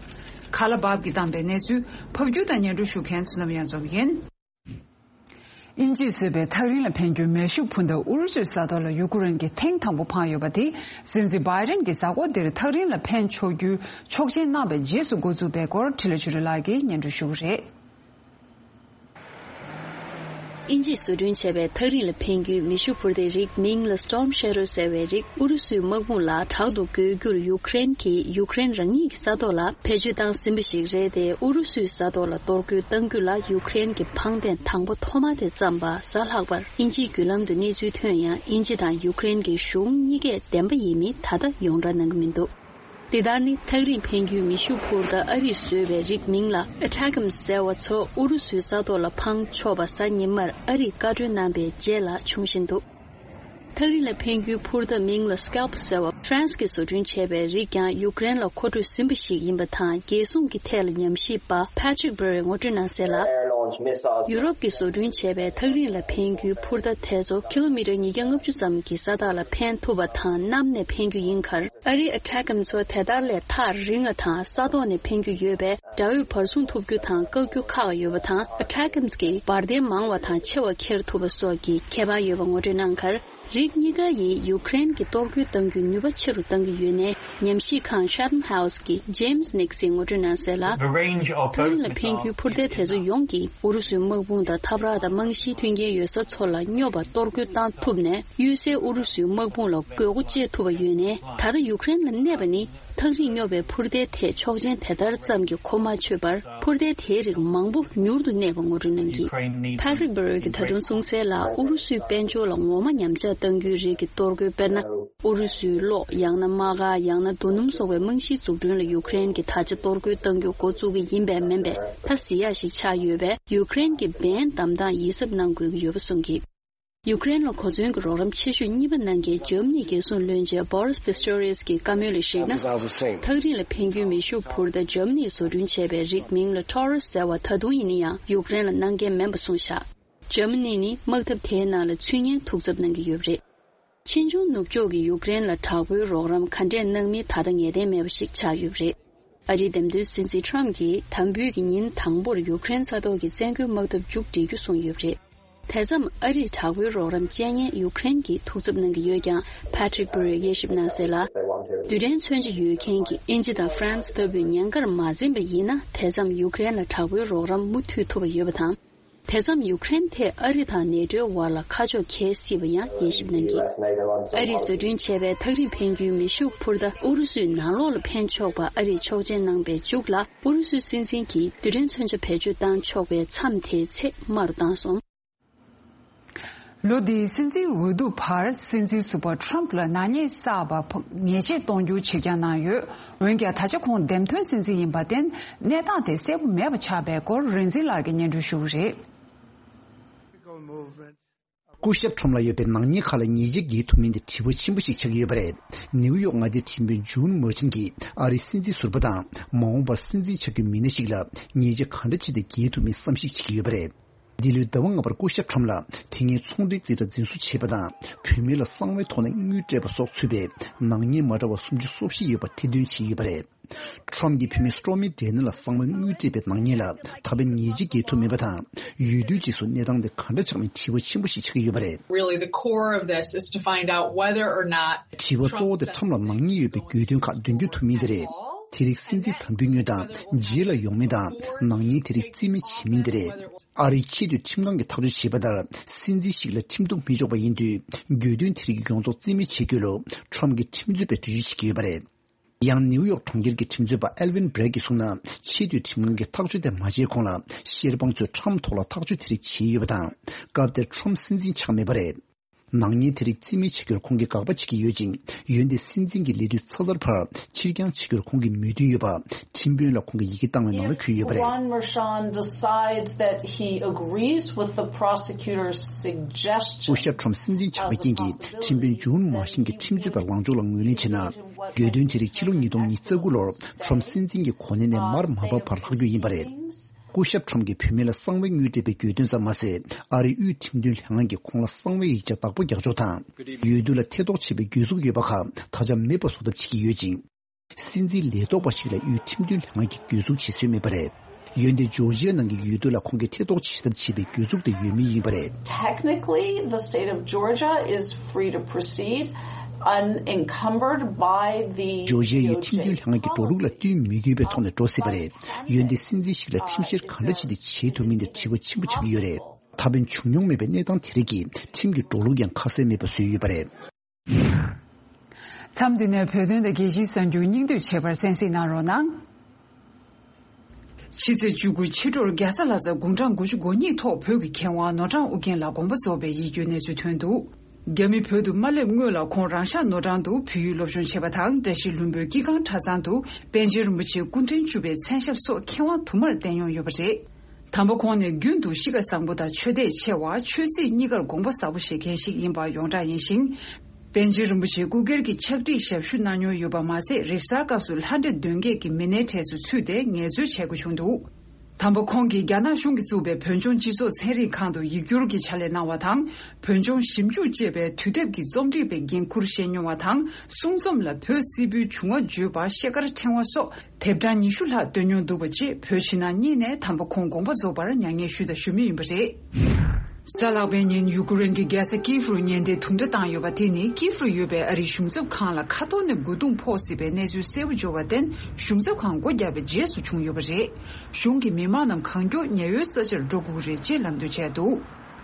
ཁ་ལ་བབ་ཀྱིས་བཏང་པའི་གནས་ཚུལ་ཕབ་སྒྱུར་དང་སྙན་སྒྲོན་ཞུ་མཁན་བསོད་ནམས་གཡང་འཛོམས་ཡིན། དབྱིན་ཇིས་བཟོས་པའི་ཐག་རིང་ལ་འཕེན་རྒྱུའི་མེ་ཤུགས་འཕུར་མདའ་ཨུ་རུ་སུའི་ས་ཐོག་ལ་ཡུ་ཀེ་རེན་གྱིས་ཐེངས་དང་པོ་འཕངས་ཡོད་པ་དེ། སྲིད་འཛིན་བྷའི་ཌེན་གྱི་གཟའ་འཁོར་འདིར་ཐག་རིང་ལ་འཕེན་ཆོག་རྒྱུའི་ཆོག་མཆན་གནང་བའི་རྗེས་སུ་འགོ་འཛུགས་པའི་སྐོར་འཕྲིན་ལས་ཆོས་སྒྲོན་ལགས་ཀྱིས་སྙན་སྒྲོན་ཞུ་གི་རེད། དབྱིན་ཇིས་བཟོ་སྐྲུན་བྱས་པའི་ཐག་རིང་ལ་འཕེན་རྒྱུའི་མེ་ཤུགས་འཕུར་མདའི་རིགས་མིང་ལ་Storm Shadow ཟེར་བའི་རིགས་ཨུ་རུ་སུའི་དམག་དཔུང་ལ་དྲག་ཏུ་དགོས་རྒྱུར་ཡུ་ཀེ་རེན་གྱིས་ཡུ་ཀེ་རེན་རང་ཉིད་ཀྱི་ས་ཐོག་ལ་བེད་སྤྱོད་བཏང་ཟིན་པ་ཞིག་རེད་དེ། ཨུ་རུ་སུའི་ས་ཐོག་ལ་གཏོར་རྒོལ་གཏང་རྒྱུ་ལ་ཡུ་ཀེ་རེན་གྱི་འཕངས་ཐེངས་དང་པོ་ཐོག་མ་དེ་བརྩམས་པ་གཟའ་ལྷག་པར་དབྱིན་ཇིའི་བརྒྱུད་ལམ་དུ་གནས་ཚུལ་ཐོན་ཡང་། དབྱིན་ཇི་དང་ཡུ་ཀེ་རེན་གྱི་གཞུང་གཉིས་ཀས་བདེན་པ་ཡིན་མིན་ད་ལྟ་ཡོངས་གྲགས་གནང་གི་མི་འདུག་འདི་ལྟར་ནི། ཐག་རིང་འཕེན་རྒྱུའི་མེ་ཤུགས་འཕུར་མདའ་ཨ་རིས་བཟོས་པའི་རིགས་མིང་ལ་ཨེ་ཊེ་ཀམ་ཟེར་བ་ཚོ་ཨུ་རུ་སུའི་ས་ཐོག་ལ་འཕངས་ཆོག་པ་གཟའ་ཉི་མར་ཨ་རིས་བཀའ་འཁྲོལ་གནང་པའི་རྗེས་ལ་བྱུང་བཞིན་འདུག་ཐག་རིང་ལ་འཕེན་རྒྱུའི་འཕུར་མདའ་མིང་ལ་Scalp ཟེར་བ་ཧྥ་རན་སི་གིས་བཟོ་སྐྲུན་བྱས་པའི་རིགས་ཀྱང་ཡུ་ཀེ་རེན་ལ་མཁོ་སྤྲོད་ཟིན་པ་ཞིག་ཡིན་པ་དང་། རྒྱལ་སྲུང་གི་ཐད་ལ་ཉམས་ཞིབ་པ་Patrick Burry ངོ་སྤྲོད་གནང་གསལ་ལ། ཡུ་རོབ་ཀྱིས་བཟོ་སྐྲུན་བྱས་པའི་ཐག་རིང་ལ་འཕེན་རྒྱུའི་འཕུར་མདའ་དེ་ཚོ་ཀི་ལོ་མི་ཊར་ཉིས་བརྒྱ་ལྔ་བཅུ་ཙམ་གྱི་ས་ཐག་ལ་འཕེན་ཐུབ་པ་དང་། གནམ་ནས་འཕེན་རྒྱུ་ཡིན་ཁར། ཨ་རིའི་ཨེ་ཊེ་ཀམ་ཚོ་དེ་ལྟར་ལས་ཐག་རིང་བ་དང་ས་ཐོག་ནས་འཕེན་རྒྱུ་ཡོད་པས། དགྲ་བོས་བར་སྲུང་ཐུབ་རྒྱུ་དང་བཀག་རྒྱུ་ཁག་ཡོད་པ་དང་། ཨེ་ཊེ་ཀམ་གྱིས་འབར་མདེལ་མང་བ་དང་ཆེ་བ་འཁྱེར་ཐུབ་པ་སོགས་ཀྱི་ཁྱད་པར་ཡོད་པ་ངོ་སྤྲོད་གནང་ཁར། རིགས་གཉིས་ཀ་ཡིས་ཡུ་ཀེ་རེན་གྱི་གཏོར་རྒོལ་གཏང་རྒྱུའི་ནུས་པ་ཆེ་རུ་གཏང་གི་ཡོད་ནས། ཉམས་ཞིབ་ཁང་Chatham House གི་James Nix ཡིས་ངོ་སྤྲོད་གནང་གསལ་ལ། The range of ཐག་རིང་ལ་འཕེན་རྒྱུའི་འཕུར་མདའ་དེ་ཚོ་ཡོངས་ཀྱིས་ཨུ་རུ་སུའི་དམག་དཔུང་དང་འཐབ་ར་དང་རྨང་གཞིའི་མཐུན་རྐྱེན་ཡོད་ས་ཚོ་ལ་སྙོབ་པ་གཏོར་རྒོལ་བཏང་ཐུབ་ནས། གཡུལ་སའི་ཨུ་རུ་སུའི་དམག་དཔུང་ལ་དགོས་མཁོ་སྐྱེ་ཐུབ་པ་ཡོད་ནས། ད་ལྟ་ཡུ་ཀེ་རེན་ལ་གནས་པ་ནི། ཐག་རིང་སྙོབ་པའི་འཕུར་མདའི་ཐད་ཆོག་མཆན་དེ་ལྟར་ཙམ་གྱིས་གོ་མ་ཆོད་པར། འཕུར་མདའི་དེའི་རིགས་མང་པོ་མྱུར་དུ་གནས་པ་ངོ་སྤྲོད་གནང་གིས། Patrick Burry གྱིས་ད་དུང་གསུངས་གསལ་ལ། ཨུ་རུ་སུའི་དཔལ་འབྱོར་ལ་ངོ་མ་ཉམས་ཆག་གཏང་རྒྱུའི་རིགས་ཀྱི་གཏོར་རྒོལ། དཔེར་ན། ཨུ་རུ་སུའི་གློག་ཡང་ན་དམག་སྒར་ཡང་ན་རྡོ་སྣུམ་སོགས་པའི་རྨང་གཞིའི་འཛུགས་སྐྲུན་ལ་ཡུ་ཀེ་རེན་གྱིས་ད་ཆ་གཏོར་རྒོལ་གཏང་རྒྱུ་འགོ་བཙུགས་ཀྱི་ཡིན་པས་མིན་པས་ད་གཟིགས་ཡག་ཞིག་ཆགས་ཡོད་པས། ཡུ་ཀེ་རེན་གྱི་འབེན་བདམས་སྟངས་ཡིད་གཟབ་གནང་དགོས་ཀྱི་ཡོད་པ་གསུངས་གིས། ཡུ་ཀེ་རེན་ལ་གོ་མཚོན་གྱི་རོགས་རམ་ཆེ་ཤོས་གཉིས་པ་གནང་མཁན་འཇར་མ་ནིའི་རྒྱལ་སྲུང་བློན་ཆེན་Boris Pistorius གྱི་བཀའ་མོལ་ལ་གཞིགས་ན། ཐག་རིང་ལ་འཕེན་རྒྱུའི་མེ་ཤུགས་འཕུར་མདའ་འཇར་མ་ནིས་བཟོ་སྐྲུན་བྱས་པའི་རིགས་མིང་ལ་Taurus ཟེར་བ་ད་དུང་ཡིན་ན་ཡང་ཡུཀ་རེན་ལ་གནང་མཁན་མིན་པ་གསུངས་བཞག་འཇར་མ་ནི་ནི་དམག་འཐབ་དེའི་ནང་ལ་ཚུད་ཉན་ཐུགས་འཚབ་གནང་གི་ཡོད་པ་རེད། ཕྱིས་འབྱུང་ནུབ་ཕྱོགས་ཀྱིས་ཡུཀ་རེན་ལ་དྲག་པོའི་རོགས་རམ་ག་འདྲས་གནང་མིན་ད་ལྟ་ངེས་གཏན་མེད་པ་ཞིག་ཆགས་ཡོད་པ་རེད། ཨ་རིའི་འདེམས་ཐོན་སྲིད་འཛིན་ཊམ་གྱིས་དམ་འབུལ་གྱི་ཉིན་དང་པོར་ཡུཀ་རེན་ས་ཐོག་གི་བཙན་རྒོལ་དམག་འཐབ་མཇུག་སྒྲིལ་རྒྱུ་གསུངས་ཡོད་པ་རེད། དེ་མཚམས་ཨ་རིར་དྲག་པོའི་རོགས་རམ་སྤྱད་ཉན་ཡུཀ་རེན་གྱིས་ཐུགས་འཚབ་གནང་གི་ཡོད་ཀྱང་། Patrick Burry དབྱེ་ཞིབ་གནང་གསལ་ལ། རྡུལ་ཕྲན་མཚོན་ཆ་ཡོད་མཁན་གྱི་དབྱིན་ཇི་དང་ཧྥ་རན་སི་ལྟ་བུས་ཉེན་ཁར་མ་འཛེམས་པ་ཡིན་ན། དེ་མཚམས་ཡུཀ་རེན་ལ་དྲག་པོའི་རོགས་རམ་མུ་མཐུད་ཐུབ་པ་ཡོད་པ་དང་། དེ་མཚམས་ཡུཀ་རེན་དེས་ཨ་རི་དང་ནེ་ཊོའི་བར་ལ་ཁ་ཕྱོགས་འཁྱེར་སྲིད་པ་ཡང་དབྱེ་ཞིབ་གནང་གིས། ཨ་རིས་བཟོ་སྐྲུན་བྱས་པའི་ཐག་རིང་འཕེན་རྒྱུའི་མེ་ཤུགས་འཕུར་མདའ་ཨུ་རུ་སུའི་ནང་ལོགས་ལ་འཕེན་ཆོག་པ་ཨ་རིས་ཆོག་མཆན་གནང་པའི་མཇུག་ལ། ཨུ་རུ་སུའི་སྲིད་འཛིན་གྱིས་རྡུལ་ཕྲན་མཚོན་ཆ་བེད་སྤྱོད་བཏང་ཆོག་པའི་མཚམས་དེའི་ཚེ་དམའ་རུ་བཏང་སོང་། ལོ་འདིའི་སྲིད་འཛིན་འོས་བསྡུ་བར་སྲིད་འཛིན་ཟུར་པ་ཊམ་ལ་ནག་ཉེས་བསགས་པ་ཉེས་ཆད་གཏོང་རྒྱུ་ཇི་བསྐྱངས་གནང་ཡོད། འོན་ཀྱང་ད་ཆ་ཁོང་འདེམས་ཐོན་སྲིད་འཛིན་ཡིན་པར་བརྟེན། གནས་སྟངས་དེ་གསལ་པོ་མེད་པ་ཆགས་པའི་སྐོར་རིག་འཛིན་ལགས་ཀྱིས་སྙན་སྒྲོན་ཞུ་གི་རེད། སྐུ་ཞབས་ཁྲོམ་ལ་ཡོད་པའི་ནག་ཉེས་ཁག་ལ་ཉེས་ཆད་འགེལ་ཐུབ་མིན་དེ་དྲི་བ་ཆེན་པོ་ཞིག་ཆགས་ཀྱི་ཡོད་པ་རེད། ནེའུ་ཡོག་མངའ་སྡེའི་ཁྲིམས་དཔོན་ཇོན་མར་ཆན་གྱིས་ཨ་རིའི་སྲིད་འཛིན་ཟུར་པ་དང་མ་འོངས་པར་སྲིད་འཛིན་ཆགས་རྒྱུའི་མི་སྣ་ཞིག་ལ་ཉེས་ཆད་ག་འདྲ་བྱས་ཏེ་འགེལ་ཐུབ་མིན་བསམ་གཞིག་བྱེད་ཀྱི་ཡོད་པ་རེད། འདི་ལོའི་ཟླ་བ་ལྔ་པར་སྐུ་ཞབས་ཁྲོམ་ལ་དེ་སྔའི་ཚོང་འབྲེལ་རྩིས་ཁྲ་འཛིན་བཟུང་བྱས་པ་དང་། བུད་མེད་ལ་གསང་བའི་ཐོག་ནས་དངུལ་སྤྲད་པ་སོགས་ཚུད་པའི་ནག་ཉེས་མ་འདྲ་བ་སུམ་ཅུ་སོ་བཞི་ཡོད་པར་ཐེར་འདོན་བྱས་ཡོད་པ་རེད། ཁྲོམ་གྱིས་བུད་མེད་སི་ཊོར་མི་ཌེ་ནི་ལ་གསང་བའི་དངུལ་སྤྲད་པའི་ནག་ཉེས་ལ་ད་ཕན་ཉེས་ཆད་འགེལ་ཐུབ་མེད་པ་དང་། འོས་བསྡུའི་རྗེས་སུ་གནས་སྟངས་དེ་ག་འདྲ་ཆགས་མིན་དྲི་བ་ཆེན་པོ་ཞིག་ཆགས་ཀྱི་ཡོད་པ་རེད། Really, the core of this is to find out whether or not དྲི་བ་གཙོ་བོ་དེ་ཁྲོམ་ལ་ནག་ཉེས་ཡོད་པའི་གྱོད་དོན་ཁག་འདོན་རྒྱུ་ཐུབ་མིན་དེ་རེད། དེ་རིགས་སྲིད་འཛིན་དམ་འབུལ་དངུལ་དང་རྗེས་ལ་ཡོང་མིན་དང་། ནག་ཉེས་དེ་རིགས་རྩིས་མེད་བྱེད་མིན་དེ་རེད། ཨ་རིའི་ཆེས་མཐོའི་ཁྲིམས་ཁང་གིས་ཐག་གཅོད་བྱས་པ་ལྟར། སྲིད་འཛིན་ཞིག་ལ་ཁྲིམས་གཏུག་མི་ཆོག་པ་ཡིན་དུས། གྱོད་དོན་དེ་རིགས་ཡོངས་རྫོགས་རྩིས་མེད་བྱེད་རྒྱུ་ལ་ཁྲོམ་གྱི་ཁྲིམས་རྩོད་པས་འགྲེལ་བརྗོད་བྱེད་ཀྱི་ཡོད་པ་རེད། ཡང་ནིའུ་ཡོག་གྲོང་ཁྱེར་གྱི་ཁྲིམས་རྩོད་པ་ཨེལ་ཝིན་བྷི་རེག་གིས་གསུངས་ན། ཆེས་མཐོའི་ཁྲིམས་ཁང་གིས་ཐག་གཅོད་དེ་མ་བྱས་གོང་ལ། ཤེར་དཔང་ཚོས་ཁྲོམ་ཐོག་ལ་ཐག་གཅོད་དེ་རིགས་བྱས་ཡོད་པ་དང་། སྐབས་དེར་ཁྲོམ་སྲིད་འཛིན་ཆགས་མེད་པ་རེད། ནག་ཉེས་དེ་རིགས་རྩིས་མེད་བྱེད་རྒྱུར་ཁོང་གིས་དགག་པ་བྱེད་ཀྱི་ཡོད་ཅིང་། འོན་ཏེ་སྲིད་འཛིན་གྱི་ལས་དུས་ཚ་ཚར་བར་ཕྱིར་འགྱངས་བྱེད་རྒྱུར་ཁོང་གིས་མོས་མཐུན་ཡོད་པ། ཁྲིམས་དཔོན་ལ་ཁོང་གིས་ཡི་གེ་བཏང་བའི་ནང་ལ་འཁོད་ཡོད་པ་རེད། Juan Merchan decides that he agrees with the prosecutor's suggestion སྐུ་ཞབས་ཁྲོམ་སྲིད་འཛིན་ཆགས་པའི་རྐྱེན་གྱིས། ཁྲིམས་དཔོན་ཇོན་མ་ཤིན་གྱིས་ཁྲིམས་རྩོད་པའི་ལངས་ཕྱོགས་ལ་ངོས་ལེན་བྱས་ན། གྱོད་དོན་དེ་རིགས་ཕྱི་ལོ་ཉིས་སྟོང་ཉི་ཤུ་རྩ་དགུ་ལོར་ཁྲོམ་སྲིད་འཛིན་གྱི་གོ་གནས་ནས་མར་མ་བབས་བར་ལྷག་རྒྱུ་ཡིན་པ་རེད། སྐུ་ཞབས་ཁྲོམ་གྱིས་བུད་མེད་ལ་གསང་བའི་དངུལ་སྤྲད་པའི་གྱོད་དོན་ཙམ་མ་ཟད། ཨ་རིའི་དབུས་ཁྲིམས་དོན་ལྷན་ཁང་གིས་ཁོང་ལ་གསང་བའི་ཡིག་ཆ་བདག་པོ་རྒྱག་ཕྱོགས་དང་། འོས་བསྡུ་ལ་ཐེ་གཏོགས་བྱས་པའི་གྱོད་འཛུགས་ཡོད་པ་ཁག་ད་ཆ་མེད་པ་བཟོ་ཐབས་བྱེད་ཀྱི་ཡོད་ཅིང་། སྲིད་འཛིན་ལས་ཐོག་པ་ཞིག་ལ་དབུས་ཁྲིམས་དོན་ལྷན་ཁང་གིས་གྱོད་འཛུགས་བྱེད་སྲོལ་མེད་པ་རེད། འོན་ཏེ་ཇོར་ཇི་ཡ་ནང་གི་འོས་བསྡུ་ལ་ཁོང་གིས་ཐེ་གཏོགས་བྱེད་ཐབས་བྱས་པའི་གྱོད་འཛུགས་དེ་ཡོད་མིན་ཡིན་པ་རེད། Technically, the state of Georgia is free to proceed unencumbered by the ཇོར་ཇི་ཡའི་ཁྲིམས་དོན་ལྷན་ཁང་གི་འགྲོ་ལུགས་ལ་བསྟུན་མི་དགོས་པའི་ཐོག་ནས་འགྲོ་སྲིད་པ་རེད། འོན་ཏེ་སྲིད་འཛིན་ཞིག་ལ་ཁྲིམས་བཤེར་ག་འདྲ་བྱས་ཏེ་བྱེད་ཐུབ་མིན་དེ་དྲི་བ་ཆེན་པོ་ཆགས་ཀྱི་ཡོད་རེད། ད་ཕན་བྱུང་མྱོང་མེད་པའི་གནས་སྟངས་དེ་རིགས་ཀྱིས་ཁྲིམས་ཀྱི་འགྲོ་ལུགས་ཀྱང་ཁ་གསལ་མེད་པ་བཟོས་ཡོད་པ་རེད། མཚམས་འདི་ནས་བོད་དོན་དང་རྒྱལ་སྤྱིའི་གསར་འགྱུར་སྙིང་བསྡུས་བྱས་པར་གསན་གཟིགས་གནང་རོགས་གནང་། ཕྱི་ཚེས་བཅུ་དགུ་ཕྱི་དྲོར་རྒྱལ་ས་ལྷ་སར་དགུང་གྲངས་དགུ་བཅུ་གོ་གཉིས་ཐོག་བོད་ཀྱི་མཁས་དབང་ནོར་བྲང་ཨུ་རྒྱན་ལགས་དགོངས་པ་རྫོགས་པའི་ཡིད་སྐྱོའི་གནས་ཚུལ་ཐོན་འདུག་རྒྱ་མི་བོད་དུ་མ་སླེབས་སྔོན་ལ་ཁོང་རང་ཤག་ནོར་བྲང་དུ་བོད་ཡིག་སློབ་སྦྱོང་བྱས་པ་དང་། བཀྲ་ཤིས་ལྷུན་པོའི་སྐྱེ་ཁང་གྲྭ་ཚང་དུ་པཎ་ཆེན་རིན་པོ་ཆེ་སྐུ་ཕྲེང་བཅུ་པའི་མཚན་ཞབས་སོགས་མཁས་དབང་དུ་མར་བསྟེན་མྱོང་ཡོད་པ་རེད། དམ་པ་ཁོང་ནི་རྒྱུན་དུ་གཤིས་ཀ་བཟང་པོ་དང་ཆོས་དད་ཆེ་བ། ཆོས་སྲིད་གཉིས་ཀར་དགོངས་པ་ཟབ་པོ་ཞིག་མཁན་ཞིག་ཡིན་པ་ཡོངས་གྲགས་ཡིན་ཞིང་། པཎ་ཆེན་རིན་པོ་ཆེའི་སྐུ་སྒེར་གྱི་ཕྱག་བྲིས་ཞབས་ཞུ་གནང་མྱོང་ཡོད་པ་མ་ཟད། རེས་གཟའ་སྐབས་སུ་ལྷ་འདྲེ་གདོན་བགེགས་ཀྱི་མི་སྣའི་གྲས་སུ་ཚུད་དེ་ངལ་རྩོལ་བྱེད་དགོས་བྱུང་འདུག་དམ་པ་ཁོང་གིས་རྒྱ་ནག་གཞུང་གིས་བཙུགས་པའི་བོད་ལྗོངས་སྤྱི་ཚོགས་ཚན་རིག་ཁང་དུ་ཡིག་སྒྱུར་གྱི་ཕྱག་ལས་གནང་བ་དང་། བོད་ལྗོངས་ཞིབ་འཇུག་ཅེས་པའི་དུས་དེབ་ཀྱི་རྩོམ་སྒྲིག་པའི་འགན་འཁུར་བཞེས་མྱོང་བ་དང་། གསུང་རྩོམ་ལ་བོད་སིལ་བུའི་བྱུང་བ་བརྗོད་པ། ཤེལ་དཀར་ཕྲེང་བ་སོགས་དེབ་གྲངས་ཉི་ཤུ་ལྷག་བཏོན་མྱོང་འདུག་པ་བཅས། བོད་ཕྱི་ནང་གཉིས་ནས་དམ་པ་ཁོང་དགོངས་པ་རྫོགས་པར་མྱ་ངན་ཞུས་དང་ཞུ་མུས་ཡིན་པ་རེད། གཟའ་ལྷག་པའི་ཉིན་ཡུ་ཀུ་རེན་གྱི་རྒྱལ་ས་ཀིབ་རུ་ཉེན་བརྡའི་དུམ་གྲ་བཏང་ཡོད་པ་དེ་ནི་ཀིབ་རུ་ཡོད་པའི་ཨ་རིའི་གཞུང་ཚབ་ཁང་ལ་ཁ་ཐོར་ནས་རྒོལ་རྡུང་ཕོག་སྲིད་པའི་གནས་ཚུལ་གསལ་པོ་འབྱོར་བར་བརྟེན། གཞུང་ཚབ་ཁང་སྒོ་བརྒྱབ་པའི་རྗེས་སུ་བྱུང་ཡོད་པ་རེད། གཞུང་གིས་མི་མང་རྣམས་གང་མགྱོགས་ཉེ་བའི་ས་ཆར་འགྲོ་དགོས་རེད་ཅེས་ལམ་སྟོན་བྱས་འདུག་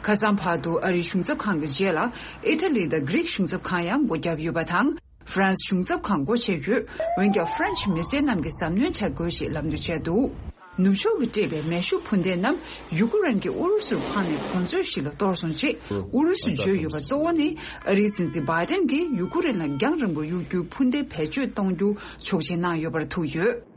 ཁ་སང་བར་དུ་ཨ་རིའི་གཞུང་ཚབ་ཁང་གི་རྗེས་ལ་ཨི་ཊ་ལི་དང་གྷི་རིག་གཞུང་ཚབ་ཁང་ཡང་སྒོ་བརྒྱབ་ཡོད་པ་དང་། ཧྥ་རན་སི་གཞུང་ཚབ་ཁང་སྒོ་ཕྱེ་ཡོད། འོན་ཀྱང་ཧྥ་རན་སི་མི་སེར་རྣམས་ཀྱིས་གཟབ་གནོན་བྱ་དགོས་ཞེས་ལམ་སྟོན་བྱས་འདུག་ནུབ་ཕྱོགས་ཀྱིས་སྤྲད་པའི་མེ་ཤུགས་འཕུར་མདེལ་རྣམས་ཡུ་ཀུ་རེན་གྱིས་ཨུ་རུ་སུར་འཕངས་ནས་གོ་མཛོད་ཞིག་ལ་གཏོར་སོང་ཅེས་ཨུ་རུ་སུས་བརྗོད་ཡོད་པ་གཙོ་བོ་ནི་ཨ་རིའི་སྲིད་འཛིན་བྷའི་ཏན་གྱིས་ཡུ་ཀུ་རེན་ལ་རྒྱང་རིང་པོར་གཡུག་རྒྱུའི་འཕུར་མདེལ་བེད་སྤྱོད་གཏོང་རྒྱུ་ཆོག་མཆན་གནང་ཡོད་པར་ཐུག་ཡོད།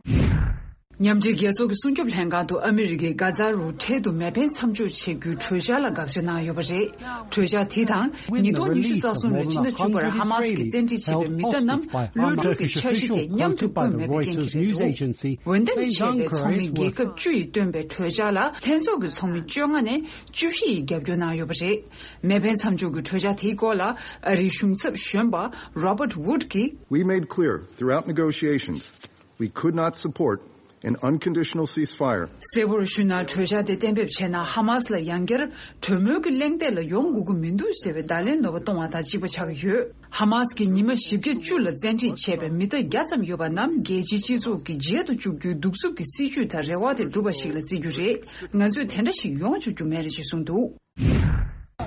མཉམ་འབྲེལ་རྒྱལ་ཚོགས་ཀྱི་སྲུང་སྐྱོབ་ལྷན་ཁང་དུ་ཨ་མི་རི་ཀས་གྷ་ཛ་རུ་འཕྲལ་དུ་མེ་འཕེན་མཚམས་འཇོག་བྱེད་རྒྱུའི་གྲོས་འཆར་ལ་དགག་བྱ་གནང་ཡོད་པ་རེད། གྲོས་འཆར་དེའི་ཐང་ཉིས་སྟོང་ཉི་ཤུ་རྩ་གསུམ་ལོའི་ཕྱི་ཟླ་བཅུ་པར་ཧ་མ་སི་ཀྱིས་བཙན་ཁྲིད་བྱས་པའི་མི་སྣ་རྣམས་གློད་གྲོལ་གྱི་འཆར་གཞི་དེ་མཉམ་དུ་བཀོད་མེད་པའི་རྐྱེན་གྱིས་རེད་འདུག་འོས་འདེམས་བྱས་པའི་ཚོགས་མི་རྒྱལ་ཁབ་བཅུ་ཡིས་བཏོན་པའི་གྲོས་འཆར་ལ་ལྷན་ཚོགས་ཀྱི་ཚོགས་མི་བཅོ་ལྔ་ནས་བཅུ་བཞི་ཡིས་རྒྱབ་སྐྱོར་གནང་ཡོད་པ་རེད། མེ་འཕེན་མཚམས་འཇོག་གི་གྲོས་འཆར་དེའི་སྐོར་ལ་ཨ་རིའི་གཞུང་ཚབ་གཞོན་པ་Robert Wood་གྱིས། We made clear throughout negotiations we could not support an unconditional ceasefire. གསལ་པོར་ཞུས་ན། གྲོས་འཆར་དེ་གཏན་འབེབས་བྱས་ན། ཧ་མ་སི་ལ་ཡང་བསྐྱར་གྲོས་མོལ་གྱི་གླེང་སྟེགས་ལ་ཡོང་དགོས་ཀྱི་མི་འདུག་ཟེར་བའི་བརྡ་ལན་ནོར་བ་གཏོང་བ་དང་གཅིག་པ་ཆགས་ཀྱི་ཡོད། ཧ་མ་སི་ཀྱིས་ཉི་མ་བཞི་བརྒྱ་བཅུ་ལ་བཙན་ཁྲིད་བྱས་པའི་མི་སྟག་བརྒྱ་ཙམ་ཡོད་པ་རྣམས་རྒྱལ་སྤྱིའི་སྤྱི་ཚོགས་ཀྱིས་མཇལ་དུ་བཅུག་རྒྱུའི་གདུག་རྩུབ་ཀྱི་སྲིད་བྱུས་དང་རེ་བ་དེ་འགྲུབ་པ་ཞིག་ལ་བརྩི་རྒྱུ་རེད། ང་ཚོས་དེ་འདྲ་ཞིག་ཡོང་བཅུག་རྒྱུ་མེད་རེད་ཅེས་གསུངས་འདུག་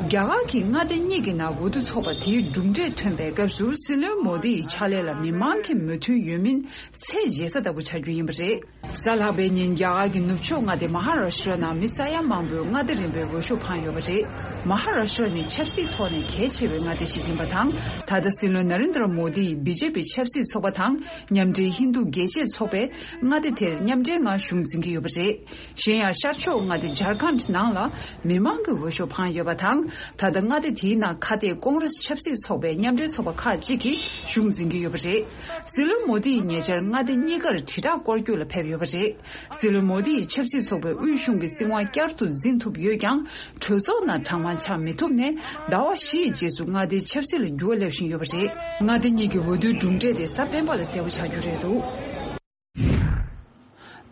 རྒྱ་གར་གྱི་མངའ་སྡེ་གཉིས་ཀྱི་ནང་འོས་བསྡུ་ཚོགས་པ་དེའི་གྲུབ་འབྲས་ཐོན་པའི་སྐབས་སུ་སྲིད་བློན་མོ་དི་ཡི་ཕྱག་ལས་ལ་མི་མང་གི་མོས་མཐུན་ཡོད་མིན་ཚད་འཇལ་ས་ལྟ་བུ་ཆགས་རྒྱུ་ཡིན་པ་རེད། གཟའ་ལྷག་པའི་ཉིན་རྒྱ་གར་གྱི་ནུབ་ཕྱོགས་མངའ་སྡེ་མ་ཧ་ར་ཤི་ཏྲ་ནང་མི་ས་ཡ་མང་པོས་མངའ་སྡེ་རིམ་པའི་འོས་ཤོག་འཕངས་ཡོད་པ་རེད། མ་ཧ་ར་ཤི་ཏྲ་ནི་ཆབ་སྲིད་ཐོག་ནས་གལ་ཆེ་བའི་མངའ་སྡེ་ཞིག་ཡིན་པ་དང་། ད་ལྟ་སྲིད་བློན་ན་རེན་དྲ་མོ་དི་ཡི་བི་ཇེ་པི་ཆབ་སྲིད་ཚོགས་པ་དང་མཉམ་འབྲེལ་ཧིན་རྡུ་རྒྱལ་གཅེས་ཚོགས་པས་མངའ་སྡེ་དེར་མཉམ་འབྲེལ་ངང་གཞུང་འཛིན་གྱི་ཡོད་པ་རེད། གཞན་ཡང་ཤར་ཕྱོགས་མངའ་སྡེ་ཇར་ཁན་ནང་ལ་མི་མང་གི་འོས་ཤོག་འཕངས་ཡོད་པ་དང་ ད་ལྟ་མངའ་སྡེ་དེའི་ནང་ཁ་གཏད་ཀོང་རེས་ཆབ་སྲིད་ཚོགས་པའི་མཉམ་འབྲེལ་ཚོགས་པ་ཁག་ཅིག་གིས་གཞུང་འཛིན་གྱི་ཡོད་པ་རེད། སྲིད་བློན་མོ་དི་ཡིས་ཉེ་ཆར་མངའ་སྡེ་གཉིས་ཀར་དྲིལ་བསྒྲགས་སྐོར་སྐྱོད་ལ་ཕེབས་ཡོད་པ་རེད། སྲིད་བློན་མོ་དི་ཡིས་ཆབ་སྲིད་ཚོགས་པའི་དབུས་གཞུང་གི་སྲིད་དབང་བསྐྱར་དུ་འཛིན་ཐུབ་ཡོད་ཀྱང་། གྲོས་ཚོགས་ནང་གྲངས་མང་ཆགས་མི་ཐུབ་ནས། ཟླ་བ་བཞི་ཡི་རྗེས་སུ་མངའ་སྡེའི་ཆབ་སྲིད་ལ་འགྱུར་བ་སླེབས་བཞིན་ཡོད་པ་རེད། མངའ་སྡེ་གཉིས་ཀྱི་འོས་བསྡུའི་གྲུབ་འབྲས་དེ་གཟའ་སྤེན་པ་ལ་གསལ་པོ་ཆགས་རྒྱུ་རེད་འདུག།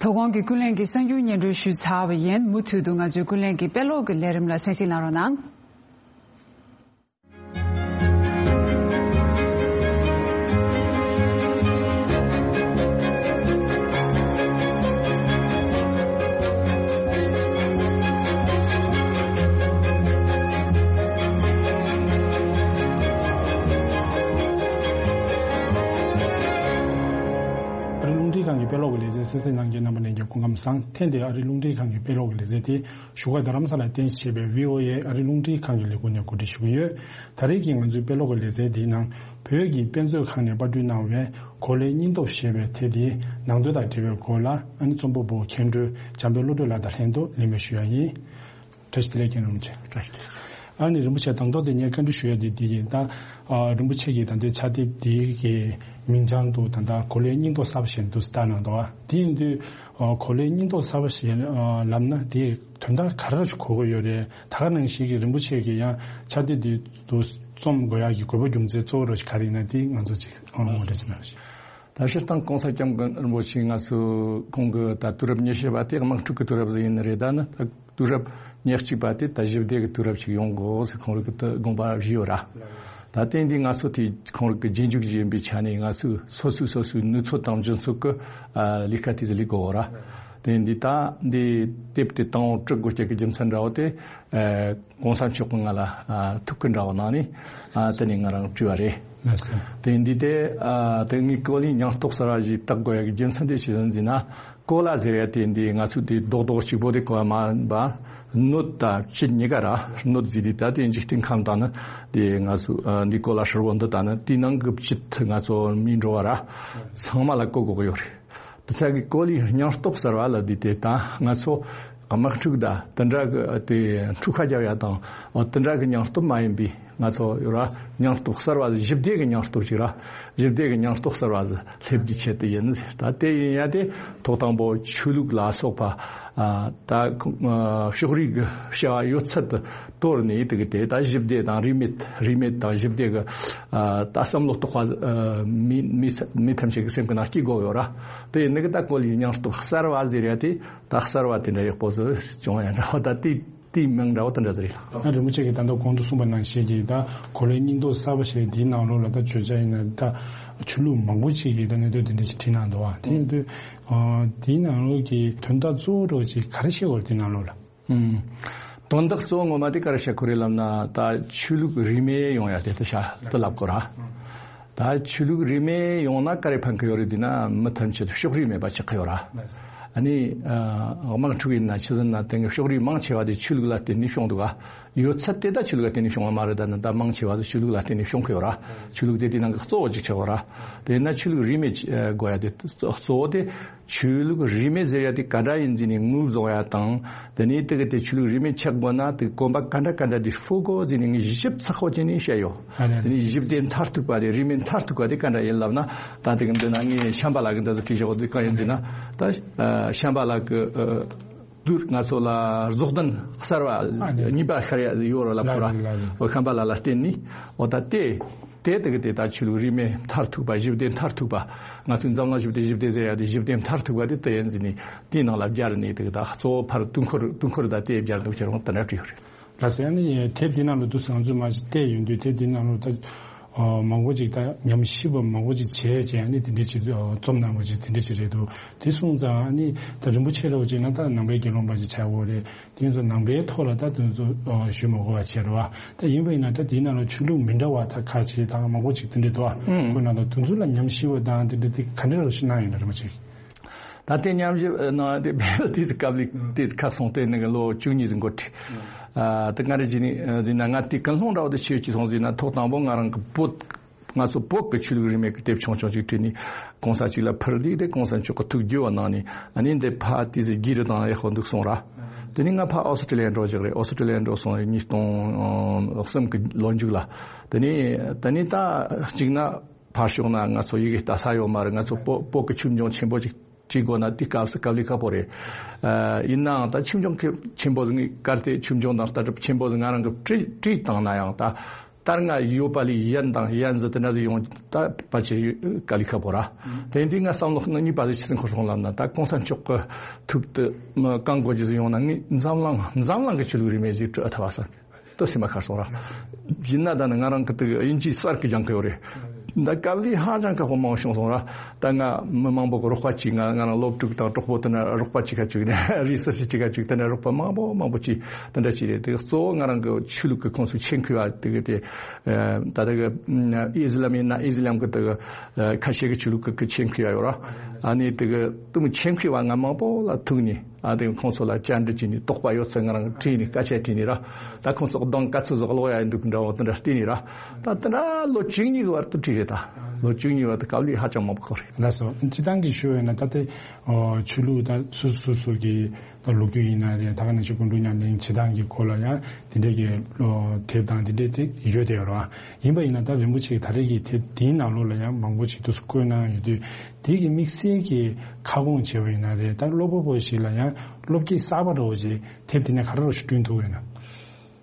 དོ་དགོང་གི་ཀུན་གླེང་གི་གསར་འགྱུར་སྙན་སྒྲོན་ཞུས་ཚར་བ་ཡིན། མུ་མཐུད་དུ་ང་ཚོའི་ཀུན་གླེང་གི་དཔེ་ཀློག་གི་ལས་རིམ་ལ་གསན་གཟིགས་གནང་རོགས་གནང་། ཨ་རི་རླུང་འཕྲིན་ཁང་གི་དཔེ་ཀློག་གི་ལེ་ཚན་གསན་གཟིགས་གནང་མཁན་རྣམ་པ་ལྷན་རྒྱས་སྐུ་ཁམས་བཟང་། ཐེངས་འདིའི་ཨ་རི་རླུང་འཕྲིན་ཁང་གི་དཔེ་ཀློག་གི་ལེ་ཚན་དེ་བཞུགས་སྒར་རྡ་རམ་ས་ལར་རྟེན་གཞི་བྱས་པའི་བྷི་ཨོ་ཨེ་ཨ་རི་རླུང་འཕྲིན་ཁང་གི་ལས་ཁུངས་ནས་གོ་སྒྲིག་ཞུ་གི་ཡོད། ད་རེས་ཀྱི་ང་ཚོའི་དཔེ་ཀློག་གི་ལེ་ཚན་འདིའི་ནང་བོད་ཀྱི་དཔེ་མཛོད་ཁང་ནས་པར་སྐྲུན་གནང་བའི་གོ་ལའི་སྙིང་སྟོབས་ཞེས་པའི་དེབ་དེའི་ནང་དོན་དང་འབྲེལ་བའི་སྐོར་ལ། ཨ་ནི་རྩོམ་པ་པོ་མཁན་སྤྲུལ་འཇམ་དཔལ་བློ་གྲོས་ལགས་དང་ལྷན་དུ་གླེང་མོལ་ཞུ་ཡ་ཡིན། བཀྲ་ཤིས་བདེ་ལེགས། མཁན་རིན་པོ་ཆེ། བཀྲ་ཤིས་བདེ་ལེགས། ཨ་ནི་རིན་པོ་ཆེ། དང་ཐོག་དེ་ངས་བཀའ་འདྲི་ཞུ་ཡ་དེ་འདི་ཡིན། ད་ཨ་རིན་པོ་ཆེ་གིས་ད་ལྟའི་ཕྱག་དེབ་འདི་གི་མིང་བྱང་དུ་ད་ལྟ་གོ་ལའི་སྙིང་སྟོབས་གསར་པ་ཞེས་འདུག་སེ་བཏགས་གནང་འདུག། ཨ་དེ་ཡིན་དུས་ཨ་གོ་ལའི་སྙིང་སྟོབས་གསར་པ་ཞེས་ཨ་ལབ་ན་དེ་དོན་དག་ག་རེ་ཞིག་གོ་གི་ཡོད་རེད། ད་ག་ནང་བཞིན་གྱི་རིན་པོ་ཆེ་གིས་ཡང་ཕྱག་དེབ་འདི་དུ་རྩོམ་དགོས་ཡ་གི་དགོས་པ་རྒྱུ་མཚན་གཙོ་བོ་ར་ཞིག་ག་རེ་ཡིན་ན་དེ་ང་ཚོ་ཅིག་ཨ་ངོ་སྤྲོད་ཅིག་གནང་རོགས་ཞེས། ད་སྤྱིར་བཏང་གོང་ས་སྐྱབས་མགོན་རིན་པོ་ཆེ་ང་ཚོ་ཁོང་གི་ད་དུས་རབས་ཉི་ཤུ་པ་དེ་དམག་འཁྲུག་གི་དུས་རབས་ཟིག་ཡིན་ནི་རེད། ད་ནི་ད་དུས་རབས་ཉེར་གཅིག་པ་དེ་ད་ཞི་བདེ་གི་དུས་རབས་ཅིག་ཡོང་དགོས་ཟེར་ཁོང་རང་གི་དགོངས་པ་བཞེས་ཡོད་ར། ད་དེ་འདི་ང་ཚོ་དེ་ཁོང་རང་གི་རྗེས་འཇུག་ཅིག་ཡིན་པའི་ཆ་ནས་ང་ཚོས་སོ་སོའི་སོ་སོའི་ནུས་ཚོད་དང་འཇོན་ཚོད་ཀྱི་ཨ་ལས་ཀ་དེ་ཚོ་ལས་དགོས་ར། དེ་འདི་ད་འདི་དེབ་དེ་དང་པོ་བྲི་དགོས་ཀྱི་རྒྱུ་མཚན་འདྲ་བོ་དེ་ཨ་གོང་ས་མཆོག་གིས་ང་ལ་ཨ་ཐུགས་ཁུར་འདྲ་བོ་གནང་ནས་ཨ་དེ་ནས་ང་རང་བྲིས་པ་རེད། ལགས་སོ། དེ་འདི་དེ་ཨ་དེ་ངའི་གོ་ལའི་སྙིང་སྟོབས་གསར་བ་ཞིག་བཏགས་དགོས་ཡ་གི་རྒྱུ་མཚན་དེ་ཆི་ཟིག་ཡིན་ཟེར་ན། གོ་ལ་ཟེར་ཡ་དེ་འདི་ང་ཚོས་དེ་རྡོག་རྡོག་གཅིག་པོ་དེ་གོ་བ་མ་ཡིན་པ། སྣོད་དང་བཅུད་གཉིས་ཀ་ར། སྣོད་ཟེར་དུས་ད་དེ་འཇིག་རྟེན་ཁམས་དང་ནི་དེ་ང་ཚོ་ཨ་འདི་གོ་ལ་ཧྲིལ་བོ་འདི་དང་ནི་དེའི་ནང་གི་བཅུད་ང་ཚོ་མིའི་འགྲོ་བ་ར་ཚང་མ་ལ་གོ་དགོས་ཀྱི་ཡོད་རེད། དེ་ཚ་གི་གོ་ལའི་སྙིང་སྟོབས་གསར་བ་ལ་དེ་དེ་ད་ང་ཚོ་དམག་འཁྲུག་དང་དེ་འདྲ་གི་དེ་འཁྲུག་ཁ་རྒྱབ་ཡ་དང་འོ་དེ་འདྲ་གི་སྙིང་སྟོབས་མ་ཡིན་པའི། ང་ཚོ་ཡོད་ར། སྙིང་སྟོབས་གསར་བ་ཞི་བདེ་གི་སྙིང་སྟོབས་ཤིག་ར། ཞི་བདེ་གི་སྙིང་སྟོབས་གསར་བ་སླེབས་རྒྱུའི་ཆེད་དུ་ཡིན་ཟེར། ད་དེ་ཡིན་ཡ་དེ་ཐོག་དང་པོ་ཆོས་ལུགས་ལ་སོགས་པ་ཨ་ད་ཨ་ཕྱོགས་རིས་ཀྱི་བྱ་བ་ཡོད་ཚད་དུ་དོར་ནས་དེ་གི་དེ་ད་ཞི་བདེ་དང་རིས་མེད་རིས་མེད་དང་ཞི་བདེ་གི་ཨ་ད་བསམ་བློ་གཏོད་པ་ཨ་མི་མི་མི་ཐམས་ཅད་ཀྱི་སེམས་ཀྱི་ནང་སྐྱེ་དགོས་ཡོད་ར། དེ་ཡིན་ནི་གི་ད་གོ་ལའི་སྙིང་སྟོབས་གསར་བ་ཟེར་ཡ་དེ་ད་གསར་བ་དེ་འདྲ་ཡག་པོ་ཟིག་བྱུང་ཡ་འདྲ་བ་ད་དེ། དེའི་མིང་འདྲ་བོ་དེ་འདྲ་ཟིག་རེད། ཨ་རིན་པོ་ཆེ་གིས་ད་ལྟ་གོང་དུ་གསུངས་པ་ནང་བཞིན་གྱི་ད་གོ་ལའི་སྙིང་སྟོབས་གསར་པ་ཞེས་དེའི་ནང་ལོགས་ལ་ད་བརྗོད་བྱ་ཡིན་ན་ད་ཆོས་ལུགས་མང་པོ་ཅིག་གིས་ད་གནད་དོན་དེ་འདྲ་ཞིག་བྲིས་གནང་འདུག་བ། དེ་ཡིན་དུས་ཨ་དེའི་ནང་ལོགས་ཀྱི་དོན་དག་གཙོ་བོ་འདྲ་བོ་ཅིག་ག་རེ་བཤད་དགོས་རེད་དེའི་ནང་ལོགས་ལ། ཨུམ། དོན་དག་གཙོ་བོ་ངོ་མ་དེ་ག་རེ་བཤད་དགོས་རེད་ལབ་ན་ད་ཆོས་ལུགས་རིས་མེད་ཡོང་ཡ་དེ་ད་བཤད་དེ་ལབ་དགོས་ར། ད་ཆོས་ལུགས་རིས་མེད་ཡོང་ན་ག་རེ་ཕན་གི་ཡོད་རེད་དེ་ན་མི་ཐམས་ཅད་ཕྱོགས་རིས་མེད་པ་ཆགས་གི་ཡོད་ར། ཨ་ནི་ཨ་དམག་འཁྲུག་ཡིན་ན་ཆི་ཟེར་ན་དེ་གི་ཕྱོགས་རིས་མང་ཆེ་བ་དེ་ཆོས་ལུགས་ལ་བརྟེན་ནས་བྱུང་འདུག་ག་ཡོད་ཚད་དེ་ད་ཆོས་ལུགས་ལ་བརྟེན་ནས་བྱུང་བ་མ་རེད། ད་ནི་ད་མང་ཆེ་བ་དེ་ཆོས་ལུགས་ལ་བརྟེན་ནས་བྱུང་གི་ཡོད་ར། ཆོས་ལུགས་དེ་དེ་ནང་གི་གཙོ་བོ་གཅིག་ཆགས་ཡོད་ར། དེ་ན་ཆོས་ལུགས་རིས་མེད་ཅེས་དགོས་ཡ་དེ་གཙོ་བོ་དེ་ཆོས་ལུགས་རིས་མེད་ཟེར་ཡ་དེ་ག་འདྲ་ཡིན་ཟེར་ནས་ངོས་བཟུང་ཡ་དང་། དེ་ནས་དེ་གི་དེ་ཆོས་ལུགས་རིས་མེད་ཆགས་དགོས་ན་དེ་གོམ་པ་ག་འདྲ་ག་འདྲ་དེ་སྤོ་དགོས་ཟེར་ནས་ངས་ཞིབ་ཚགས་པོ་བྱས་ནས་བཤད་ཡོད། ཨ་ནི་དེ་ནས་ཞི་བདེ་མཐར་ཐུག་པ་དེ་རིས་མེད་མཐར་ཐུག་པ་དེ་ག་འདྲ་ཡིན་ལབ་ན། ད་དེ་གི་འདི་ན་ངས་ཤམ་བྷ་ལ་གི་འདི་ཚོ་བྲིས་བཞག་པ་དེ་གང་ཡིན་ཟེར་ན། ད་ཤམ་བྷ་ལ་གི་དུས་ང་ཚོ་ལ་རྫོགས་ལྡན་གསར་བ་གཉིས་པ་ཤར་ཡ་ཡོད་ར་ལབ་དགོས་ར། ཨོ་ཤམ་བྷ་ལ་ལ་བརྟེན་ནས་ཨོ་ད་དེ། དེ་དེ་གི་དེ་ད་ཆོས་ལུགས་རིས་མེད་མཐར་ཐུག་པ་ཞི་བདེ་མཐར་ཐུག་པ། ང་ཚོའི་འཛམ་གླིང་ཞི་བདེ་ཞི་བདེ་ཟེར་ཡ་དེ་ཞི་བདེ་མཐར་ཐུག་པ་དེ་དེ་ཡིན་ཟེར་ནས་དེའི་ནང་ལ་སྦྱར་ནས་དེ་གི་ད་གཙོ་བོ་ཕར་དུས་འཁོར་དུས་འཁོར་ད་དེ་སྦྱར་འདུག་ཁྱེད་རང་དེ་འདྲ་བྲིས་ཡོད་རེད། ལགས་སོ། ཡང་ནི་དེབ་དེ་ནང་ལ་དུས་སང་ཚོད་མ་ཞིག་བལྟས་ཡོང་དུས་དེབ་དེ་ནང་ལ་ད་མང་པོ་ཅིག་ད་ཉམས་ཞིབ་པ་མང་པོ་ཅིག་བྱས་བྱས་ནི་དེ་འདྲ་ཅིག་རྩོམ་གནང་བ་ཅིག་དེ་འདྲ་ཅིག་རེད་འདུག་དེ་སོང་ཙང་ནི་ད་རིན་པོ་ཆེ་ལ་བ་ཅིག་ན་ད་ནང་པའི་དགེ་སློང་པ་ཅིག་ཆགས་འོ་རེད། དེ་ཚོ་ནང་པའི་ཐོག་ལ་ད་དེ་ཚོ་ཨ་ཞུ་མི་དགོས་པ་བྱས་རེད་བ། ད་ཡིན་པ་ཡིན་ན་ད་དེའི་ནང་ལ་ཆོས་ལུགས་མི་འདྲ་བ་ད་ཁག་ཅིག་དང་མང་པོ་ཅིག་དེ་འདྲ་འདུག་ཨ། ཁོ་ན་ད་དེ་ཚོ་ལ་ཉམས་ཞིབ་པ་དང་དེ་འདྲ་དེ་ག་འདྲ་རུ་ཞིག་གནང་ཡོད་ན་རེད་མ་ཅིག་ད་ལྟའི་ཉམས་ཞིབ་ནང་དེ་བལ་དེ་ཚོ་སྐབས་ལ་དེ་ཁག་སོང་སྟེ་ནི་ལོ་བཅུ་གཉིས་ཟིན་འགོ་ཁྲིད། ཨ་ད་ག་རེ་བྱས་ནས་ཟིན་ན་ང་དེ་ཀུན་སློང་འདྲ་བོ་དེ་ཆེ་ཆེ་སོང་ཟིན་ན་ཐོག་དང་པོ་ང་རང་གི་བོད། ང་ཚོ་བོད་ཀྱི་ཆོས་ལུགས་རིས་མེད་ཀྱི་དེབ་ཆུང་ཆུང་ཅིག་བྲིས་ནས་གོང་ས་གཅིག་ལ་ཕུལ་དུས་དེ་གོང་ས་མཆོག་གི་ཐུགས་རྒྱུས་པ་གནང་ནས་ཨ་ནི་འདི་ཕ་དེ་ཚོ་རྒྱུས་རེ་དང་ཡག་པོ་འདུག་གསུངས་ར། དེ་ནས་ང་ཕར་ཨོ་སི་ཀྲི་ལི་ཡ་འགྲོ་བཞག་རེད། ཨོ་སི་ཀྲི་ལི་ཡ་འགྲོ་སོང་རེད། ཉིས་སྟོང་གསུམ་གི་ལོ་མཇུག་ལ། དེ་ནས་དེ་ནས་ད་གཅིག་ན་ཕར་ཕྱོགས་ན་ང་ཚོ་ཡི་གེ་ལྟ་ས་ཡོད་མ་རེད། ང་ཚོ་བོད་བོད་ཀྱི་ཆོས་འབྱུང་ཆེན་པོ་ཅིག་བྲིས་དགོས་ན་དེ་སྐབས་སུ་དཀའ་ལས་ཁག་པོ་རེད། ཨ། ཡིན་ནའང་ད་ཆོས་འབྱུང་ཆེན་པོ་ཟིག་ངས་གལ་ཏེ་ཆོས་འབྱུང་དང་ལྟ་གྲུབ་ཆེན་པོ་ཟིག་ང་རང་གིས་བྲིས་བྲིས་བཏང་ན་ཡང་ད། ལྟར་ང་ཡོད་པ་ལས་ཡན་དང་ཡན་ཟི་དེ་འདྲ་ཟིག་ཡོང་ད་ཕལ་ཆེར་དཀའ་ལས་ཁག་པོ་ར། དེ་འདི་ང་བསམ་བློ་གཉིས་པ་ཟིག་ཆི་ཟིག་འཁོར་སོང་ལབ་ན། ད་གོང་ས་མཆོག་གི་ཐུགས་དེ་མི་གང་དགོས་རྒྱུ་ཟིག་ཡོང་ན་ངས་འཛམ་གླིང་འཛམ་གླིང་གི་ཆོས་ལུགས་རིས་མེད་ཟིག་སྤྲོད་ཐུབ་པ་ས་དེ་སེམས་མ་ཁར་སོང་ར། ཡིན་ན་ད་ནི་ང་རང་གི་དེ་གི་དབྱིན་ཇི་གསར་གི་སྦྱང་གི་ཡོད་རེད། ད་དཀའ་ལས་ཧ་ཅང་ཁག་པོ་མང་བོ་བྱུང་སོང་ར། ད་ང་མི་མང་པོ་གི་རོགས་པ་གཅིག་ང་ང་རང་སློབ་ཕྲུག་དང་གྲོགས་པོ་དེ་འདྲ་རོགས་པ་གཅིག་ཁ་གཅིག་ནས་རི་སར་ཆི་གཅིག་ཁ་གཅིག་དེ་འདྲ་རོགས་པ་མང་པོ་མང་པོ་གཅིག་དེ་འདྲ་གཅིག་རེད། དེ་གཙོ་བོ་ང་རང་གི་ཆོས་ལུགས་ཀྱི་ཁོངས་སུ་ཆེད་མཁས་པ་དེ་གི་དེ་ད་ལྟ་གི་ཨི་སི་ལམ་ཡིན་ན་ཨི་སི་ལམ་གི་དེ་གི་ཁ་ཤས་ཀྱི་ཆོས་ལུགས་ཀྱི་ཆེད་མཁས་པ་ཡོད་ར། ཨ་ནི་དེ་གི་དུ་མི་ཆེད་མཁས་པ་ང་མང་པོ་ལ་ཐུག་ནས། ཨ་དེ་ཁོང་ཚོ་ལ་བཅར་འདྲི་བྱས་ནས་དོགས་པ་ཡོད་ཚད་ང་རང་དྲིས་ནས་སྐད་ཆ་དྲིས་ནས་ར། ད་ཁོང་ཚོ་གདོང་ག་ཚོད་ཟིག་ཀློག་ཡ་ཡིན་འདུག་འདྲ་བོ་དེ་འདྲ་བལྟས་ནས་ར། ད་དེ་འདྲ་ལོ་བཅུ་གཉིས་ཀྱི་བར་དུ་བྲིས་རེད། ད་ལོ་བཅུ་གཉིས་བར་དུ་དཀའ་ལས་ཧ་ཅང་མང་པོ་ཁག་རེད། ལགས་སོ། སྤྱི་བཏང་གི་ཞུ་བས་ན་ད་ལྟའི་ཆོས་ལུགས་ད་སོ་སོ་སོ་གི་ད་ལོ་རྒྱུས་ཡིན་ན་རེད། ད་ག་ནང་བཞིན་སྐུ་མགྲོན་ཉམས་ལེན་བྱེད་སྟངས་ཀྱི་སྐོར་ལ་ཡང་དེ་འདྲས་ཀྱི་དེབ་དང་དེ་འདྲས་དེ་ཡོད་དེ་ཡོད་ར། ཡིན་པ་ཡིན་ན་ད་རིན་པོ་ཆེ་གི་ད་རེས་ཀྱི་དེབ་འདིའི་ནང་ལོགས་ལ་ཡང་མང་པོ་ཅིག་ཏུ་བཀོད་གནང་ཡོད་དུས། དེ་གི་དམིགས་བསལ་གྱི་ཁ་སྐོང་བྱས་པ་ཡིན་ན་རེད། ད་སློབ་ཕྲུག་པོ་ཞིག་ལ་ཡང་སློབ་ཁྲིད་གསར་པ་འདྲ་བོ་ཞིག་དེབ་དེ་ནས་ག་རེ་རོ་ཞིག་བསྐྲུན་ཐུབ་ཡོད་ན།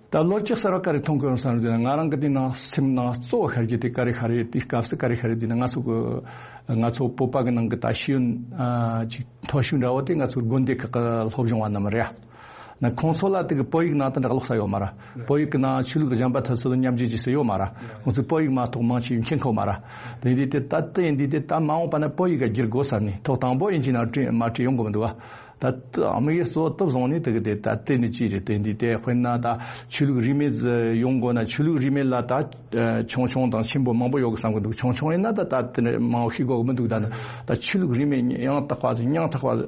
ད་སློབ་ཁྲིད་གསར་པ་ག་རེ་མཐོང་གི་ཡོད་བསམ་རྒྱུ་ན། ང་རང་གི་དེ་ནང་སེམས་ནང་གཙོ་བོ་ཤར་རྒྱུ་དེ་ག་རེ་ག་རེ་དེ་སྐབས་སུ་ག་རེ་ག་རེ་དེ་ན་ང་ཚོ་གི་ང་ཚོ་བོད་པ་གི་ནང་གི་ད་ཤེས་ཡོན་ཅིག་མཐོ་ཤོས་འདྲ་བོ་དེ་ང་ཚོ་དགོན་སྡེ་ཁག་གི་སློབ་སྦྱོང་བ་རྣམས་རེད། ན་ཁོང་ཚོ་ལ་དེ་གི་བོད་ཡིག་ནང་དེ་འདྲ་ཀློག་ས་ཡོད་མ་ར། བོད་ཡིག་གི་ནང་ཆོས་ལུགས་གཞན་པ་ཐད་སོ་སོ་མཉམ་འཇུག་བྱེད་ས་ཡོད་མ་ར། ཁོང་ཚོས་བོད་ཡིག་མ་གཏོགས་མང་ཆེ་མཁྱེན་ཁོ་མ་ར། དེ་འདི་དེ་ད་ལྟ་ཡིན་འདི་དེ་ད་མ་འོངས་པ་ན་བོད་ཡིག་ག་བསྒྱུར་དགོས་བསམ་ནས་ཐོག་དང་པོ་ཡིན་གཅིག་ན་བྲིས་མ་བྲིས་ཡོང་དགོས་མི་འདུག་བ། ད་དམིགས་ཡུལ་གཙོ་བོ་སྟོབས་བཟུང་ནས་དེ་གི་དེ་ད་ལྟ་ནས་ཅི་རེད། དེ་འདི་དེ་དཔེར་ན་ད་ཆོས་ལུགས་རིས་མེད་ཡོང་དགོས་ན་ཆོས་ལུགས་རིས་མེད་ལ་ད་ཆུང་ཆུང་དང་ཆེན་པོ་མང་པོ་ཡོད་གི་བསམ་གི་འདུག་ཆུང་ཆུང་ཡིན་ན་ད་ད་དེ་འདྲ་མང་པོ་ཤེས་དགོས་གི་མི་འདུག་ད་ནི་ད་ཆོས་ལུགས་རིས་མེད་ཡང་དག་པ་ཟིག་ཉང་ཐག་པ། ད་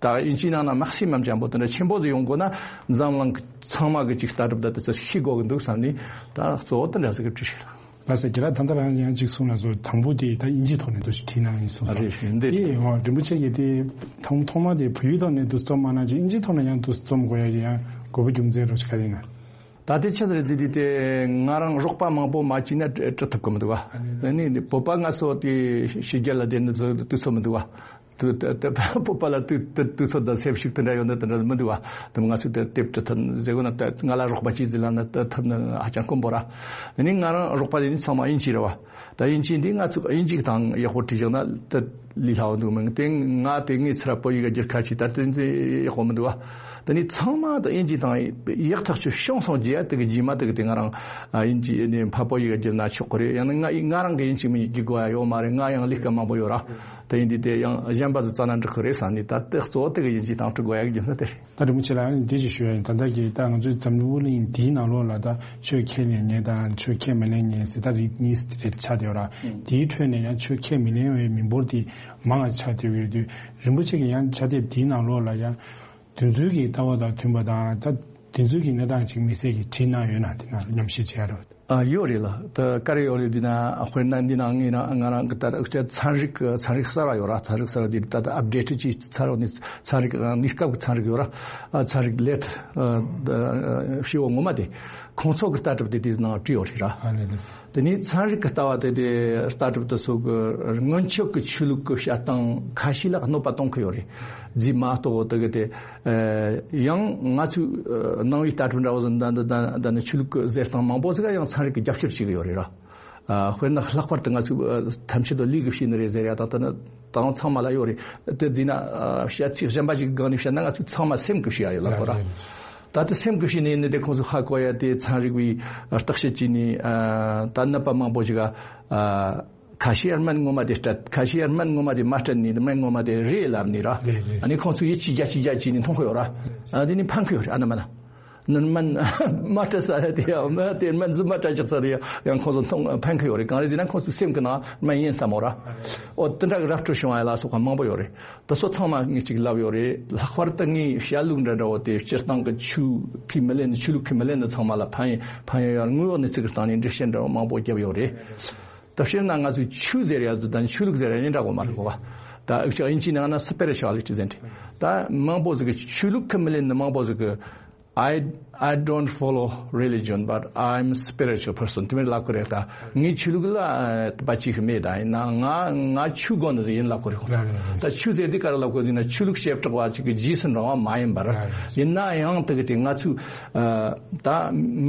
དབྱིན་ཇིའི་ནང་ན་maximum་ཅན་པོ་དེ་འདྲ་ཆེན་པོ་ཟིག་ཡོང་དགོས་ན་འཛམ་གླིང་གི་ཚང་མ་གི་ཅིག་ལྟ་གྲུབ་ད་དེ་ཚོ་ཤེས་དགོས་གི་འདུག་བསམ་ནས་ད་གཙོ་བོ་དེ་འདྲ་ཟིག་གི་བྲིས་ཤིག་ལ། ལགས་སོ། རྒྱལ་ལགས་ད་ལྟ་རང་ཡང་ཅིག་གསུངས་ལ་བཟོ་དང་པོ་དེ་ད་དབྱིན་ཇིའི་ཐོག་ནས་འདུག་ཅིག་བྲིས་གནང་ཡིན་གསུངས་སོང་། རེད་རེད། འདི་དེ་ཡང་རིན་པོ་ཆེ་གིས་དེ་ཐོག་ཐོག་མ་དེ་བོད་ཡིག་ཐོག་ནས་འདུག་རྩོམ་མ་གནང་ཅིག་དབྱིན་ཇིའི་ཐོག་ནས་ཡང་འདུག་རྩོམ་དགོས་ཡ་གི་ཡང་དགོས་པ་རྒྱུ་མཚན་རོ་ཅིག་ག་རེ་ཡིན་ན། ད་ལྟའི་ཆ་ཟེར་དེ་དེ་དེ་ང་རང་རོགས་པ་མང་པོ་མ་བྱས་ན་འབྲི་འབྲི་ཐུབ་ཀྱི་མི་འདུག་བ། ཨ་ནི་བོད་པ་ང་ཚོ་དེ་ཕྱི་རྒྱལ་ལ་བསྡད་ནས་བཟོ་དུས་ཚོད་མི་འདུག་བ། དུ་དུ་དུ་བོད་པ་ལ་དུ་དུ་དུས་ཚོད་དང་སེམས་ཤུགས་དེ་འདྲ་ཡོད་ན་དེ་འདྲ་མི་འདུག་བ། དེ་ང་ཚོས་དེ་དེབ་འབྲི་ཐུབ་ཟེར་དགོས་ན་ད་ང་ལ་རོགས་པ་བྱས་ཟེར་ལབ་ན་ད་ཐུབ་ན་ཧ་ཅང་དཀོན་པོ་ར། དེ་ནི་ང་རང་རོགས་པ་དེ་ནི་ཚང་མ་དབྱིན་ཇི་རེད་བ། ད་དབྱིན་ཇི་འདི་ང་ཚོ་དབྱིན་ཇི་དང་ཡག་པོ་བྲིས་བཞག་ན་ད་ལས་སླ་བོ་འདུག་མིན་དེ་ང་དེ་ངའི་ཚུར་བོད་ཡིག་ག་བསྒྱུར་ཁ་ཅིག་ད་དེ་ཚོ་ཡག་པོ་མི་འདུག་བ། དེ་ནི་ཚང་མ་ད་དབྱིན་ཇི་དང་ཡག་ཐག་ཆོད་བྱུང་སོང་རྗེས་ཡ་དེ་གི་རྗེས་མ་དེ་གི་དེ་ང་རང་དབྱིན་ཇི་ནས་ཕ་བོད་ཡིག་ག་བསྒྱུར་ན་ཆོག་གི་རེད། ཡང་ན་ང་ང་རང་གི་དབྱིན་ཇི་མི་བསྒྱུར་དགོས་ཡ་ཡོད་མ་རེད། ང་ཡང་ལས་ཀ་མང་པོ་ཡོད་ར། དེ་ཡིན་དུས་དེ་ཡང་གཞན་པ་ཚོ་རྩ་ན་འགྲིག་གི་རེད་བསམ་ནས་ད་དེ་གཙོ་བོ་དེ་གི་དབྱིན་ཇི་དང་འབྲི་དགོས་ཡ་གི་རྒྱུ་མཚན་དེ་རེད། ད་རིན་པོ་ཆེ་ལགས་ཨ་ནི་འདི་ཅིག་ཞུ་ཡ་ཡིན། ད་ལྟ་གི་ད་ང་ཚོའི་འཛམ་བུ་གླིང་འདིའི་ནང་ལོགས་ལ་ད་ཆོས་ཁས་ལེན་མཁན་དང་ཆོས་ཁས་མི་ལེན་མཁན་ཟེར་ད་རིགས་གཉིས་རེ་ཆགས་བསྡད་ཡོད་ར། ཨང་། དེའི་ཁྲོད་ནས་ཡང་ཆོས་ཁས་མི་ལེན་པའི་མི་འབོར་དེ་མང་བ་ཆགས་བསྡད་ཡོད་དུས་རིན་པོ་ཆེ་གི་ཡང་ཕྱག་དེབ་འདིའི་ནང་ལོགས་ལ་ཡང་དེ་ཚོའི་གི་ལྟ་བ་དང་མཐུན་པ་དང་ད་དེ་ཚོའི་གི་གནས་སྟངས་ཅིག་དམིགས་བསལ་གྱི་བྲིས་གནང་ཡོད་ན་དེ་ནང་ཉམས་ཞིབ་བྱེད་ཡ་རེད། ཨ། ཡོད་རེད་ལ། ད་ག་རེ་ཡོད་རེད་འདི་ན་དཔེར་ན་འདི་ནང་ངས་རང་ང་རང་གི་ད་ལྟ་ཚན་རིག་གི་ཚན་རིག་གསར་བ་ཡོད་ར། ཚན་རིག་གསར་བ་འདི་ད་ལྟ་ཨབ་ཌེ་ཊི་ཅིག་ཚར་བ་ནི་ཚན་རིག་ཨ། གནས་སྐབས་ཀྱི་ཚན་རིག་ཡོད་ར། ཨ། ཚན་རིག་ལེ་ཊེསི་ཊི་ཨ། ཤེས་བ་ངོ་མ་དེ་ཁོང་ཚོ་གི་ལྟ་གྲུབ་དེ་དེའི་ནང་བྲིས་ཡོད་རེད་ར། ཨ་ནི་ནི། དེ་ནས་ཚན་རིག་གི་ལྟ་བ་དེ་དེ་ལྟ་གྲུབ་དེ་ཚོ་གི་སྔོན་ཆད་ཀྱི་ཆོས་ལུགས་ཀྱི་བཤད་སྟངས་ཁ་ཤས་ལ་གནོད་པ་གཏོང་གི་ཡོད་རེད། རྫུས་མ་གཏོགས་དེ་གི་དེ། ཨ། ཡང་ང་ཚོའི་ཨ། ནང་པའི་ལྟ་གྲུབ་འདྲ་བོ་ཟིག་འདི་འདི་འདི་འདི་ནི་ཆོས་ལུགས་ཀྱི་ཟེར་སྟངས་མང་པོ་ཟིག་ཡང་ཚན་རིག་གིས་རྒྱབ་སྐྱོར་བྱེད་ཀྱི་ཡོད་རེད་ར། ཨ། དཔེར་ན་ལྷག་པར་དུ་ང་ཚོས་ཨ། ཐམས་ཅད་དུ་ལུས་ཀྱིས་ཤེས་ནི་རེད་ཟེར་ཡ་དང་དེ་ནི་དང་ཚང་མ་ལ་ཡོད་རེད། དེ་འདི་ན་ཨ། བཤད་ཚིག་གཞན་པ་ཞིག་གི་སྒང་ནས་བཤད་ན་ང་ཚོས་ཚང་མ་སེམས་ཀྱིས་ཤེས་ཡ་ཡོད་ལ་ཁོ་ར། ད་དེ་སེམས་ཀྱིས་ཤེས་ནི་ཡིན་ནི་དེ་ཁོང་ཚོས་ཧ་གོ་ཡ་དེ་ཚན་རིག་པའི་བརྟག་དཔྱད་བྱས་ནས་ཨ། ད་ནད་པ་མང་པོ་ཞིག་ག་ཨ། ཁ་ཤས་སྨན་ངོ་མ་དེ་སྤྲད། ཁ་ཤས་སྨན་ངོ་མ་དེ་མ་སྤྲད་ནས་སྨན་ངོ་མ་དེ་རེད་ལབ་ནས་ར། རེད་རེད། ཨ་ནི་ཁོང་ཚོས་ཡིད་ཆེས་རྒྱ་ཆེ་རྒྱ་ཆེ་ནས་མཐོང་གི་ཡོད་ར། ཨ། དེ་ནས་ཕན་གི་ཡོད་རེད། ཨ་ནི་མ་ན་ནི་སྨན་མ་སྤྲད་ས་རེད་དེ་ཡང་མ་དེ་སྨན་ཟིག་མ་སྤྲད་ཅིག་ས་རེད་ཡང་ཁོང་ཚོ་མཐོང་ཕན་གི་ཡོད་རེད། གང་རེད་ཟེར་ན་ཁོང་ཚོའི་སེམས་ཀྱི་ནང་སྨན་ཡིན་བསམ་མོ་ར། ཨོ་དེ་འདྲ་གི་ར་སྤྲོད་བྱུང་བ་ལ་སོགས་པ་མང་པོ་ཡོད་རེད། དེ་ཚོ་ཚང་མ་ངས་ཅིག་ལབ་ཡོད་རེད། ལྷག་པར་དུ་ངས་བཤད་ལུགས་འདྲ་འདྲ་བོ་དེ་སྤྱིར་བཏང་གི་ཆོས་ཁས་མི་ལེན་ནི་ཆོས་ལུགས་ཁས་མི་ལེན་ནི་ཚང་མ་ལ་ཕན་ཡོད་ཕན་ཡོད་ཡང་དངོས་ཡོད་གནས་ཚུལ་གྱི་སྟེང་ནས་འགྲེལ་བཤད་འདྲ་བོ་མང་པོ་བརྒྱབ་ཡོད་རེད། ད་སྤྱིར་ན་ང་ཚོས་ཆོས་ཟེར་ཡ་ཟིག་དང་ཆོས་ལུགས་ཟེར་ཡ་གཉིས་འདྲ་གོ་མ་རེད་གོ་བ། ད་ཨུ་ཅག་དབྱིན་ཇིའི་ནང་ན་སི་པི་རི་ཅུ་ཨ་ལི་ཊི་ཟེར་འདྲ། ད་མང་པོ་ཟིག་གི་ཆོས་ལུགས་ཁས་མི་ལེན་ནི་མང་པོ་ཟིག་གི I I don't follow religion, but I'm spiritual person. དེ་མིན་ལབ་གི་རེད། ད་ངའི་ཆོས་ལུགས་ལ་དཔའ་ཅིག་མེད། ད་ཡིན་ན་ང་ང་ཆོས་དགོན་ནི་ཟིག་ཡིན་ལབ་གི་རེད། ད་ཆོས་ཟེར་དུས་ག་རེ་ལབ་གི་ཟེར་ན། ཆོས་ལུགས་བྱེ་བྲག་པ་ཅིག་གི་རྗེས་སུ་འབྲང་བ་མ་ཡིན་པར། ཡིན་ན་ཡང་དེ་གི་དེ་ང་ཚོས་ད་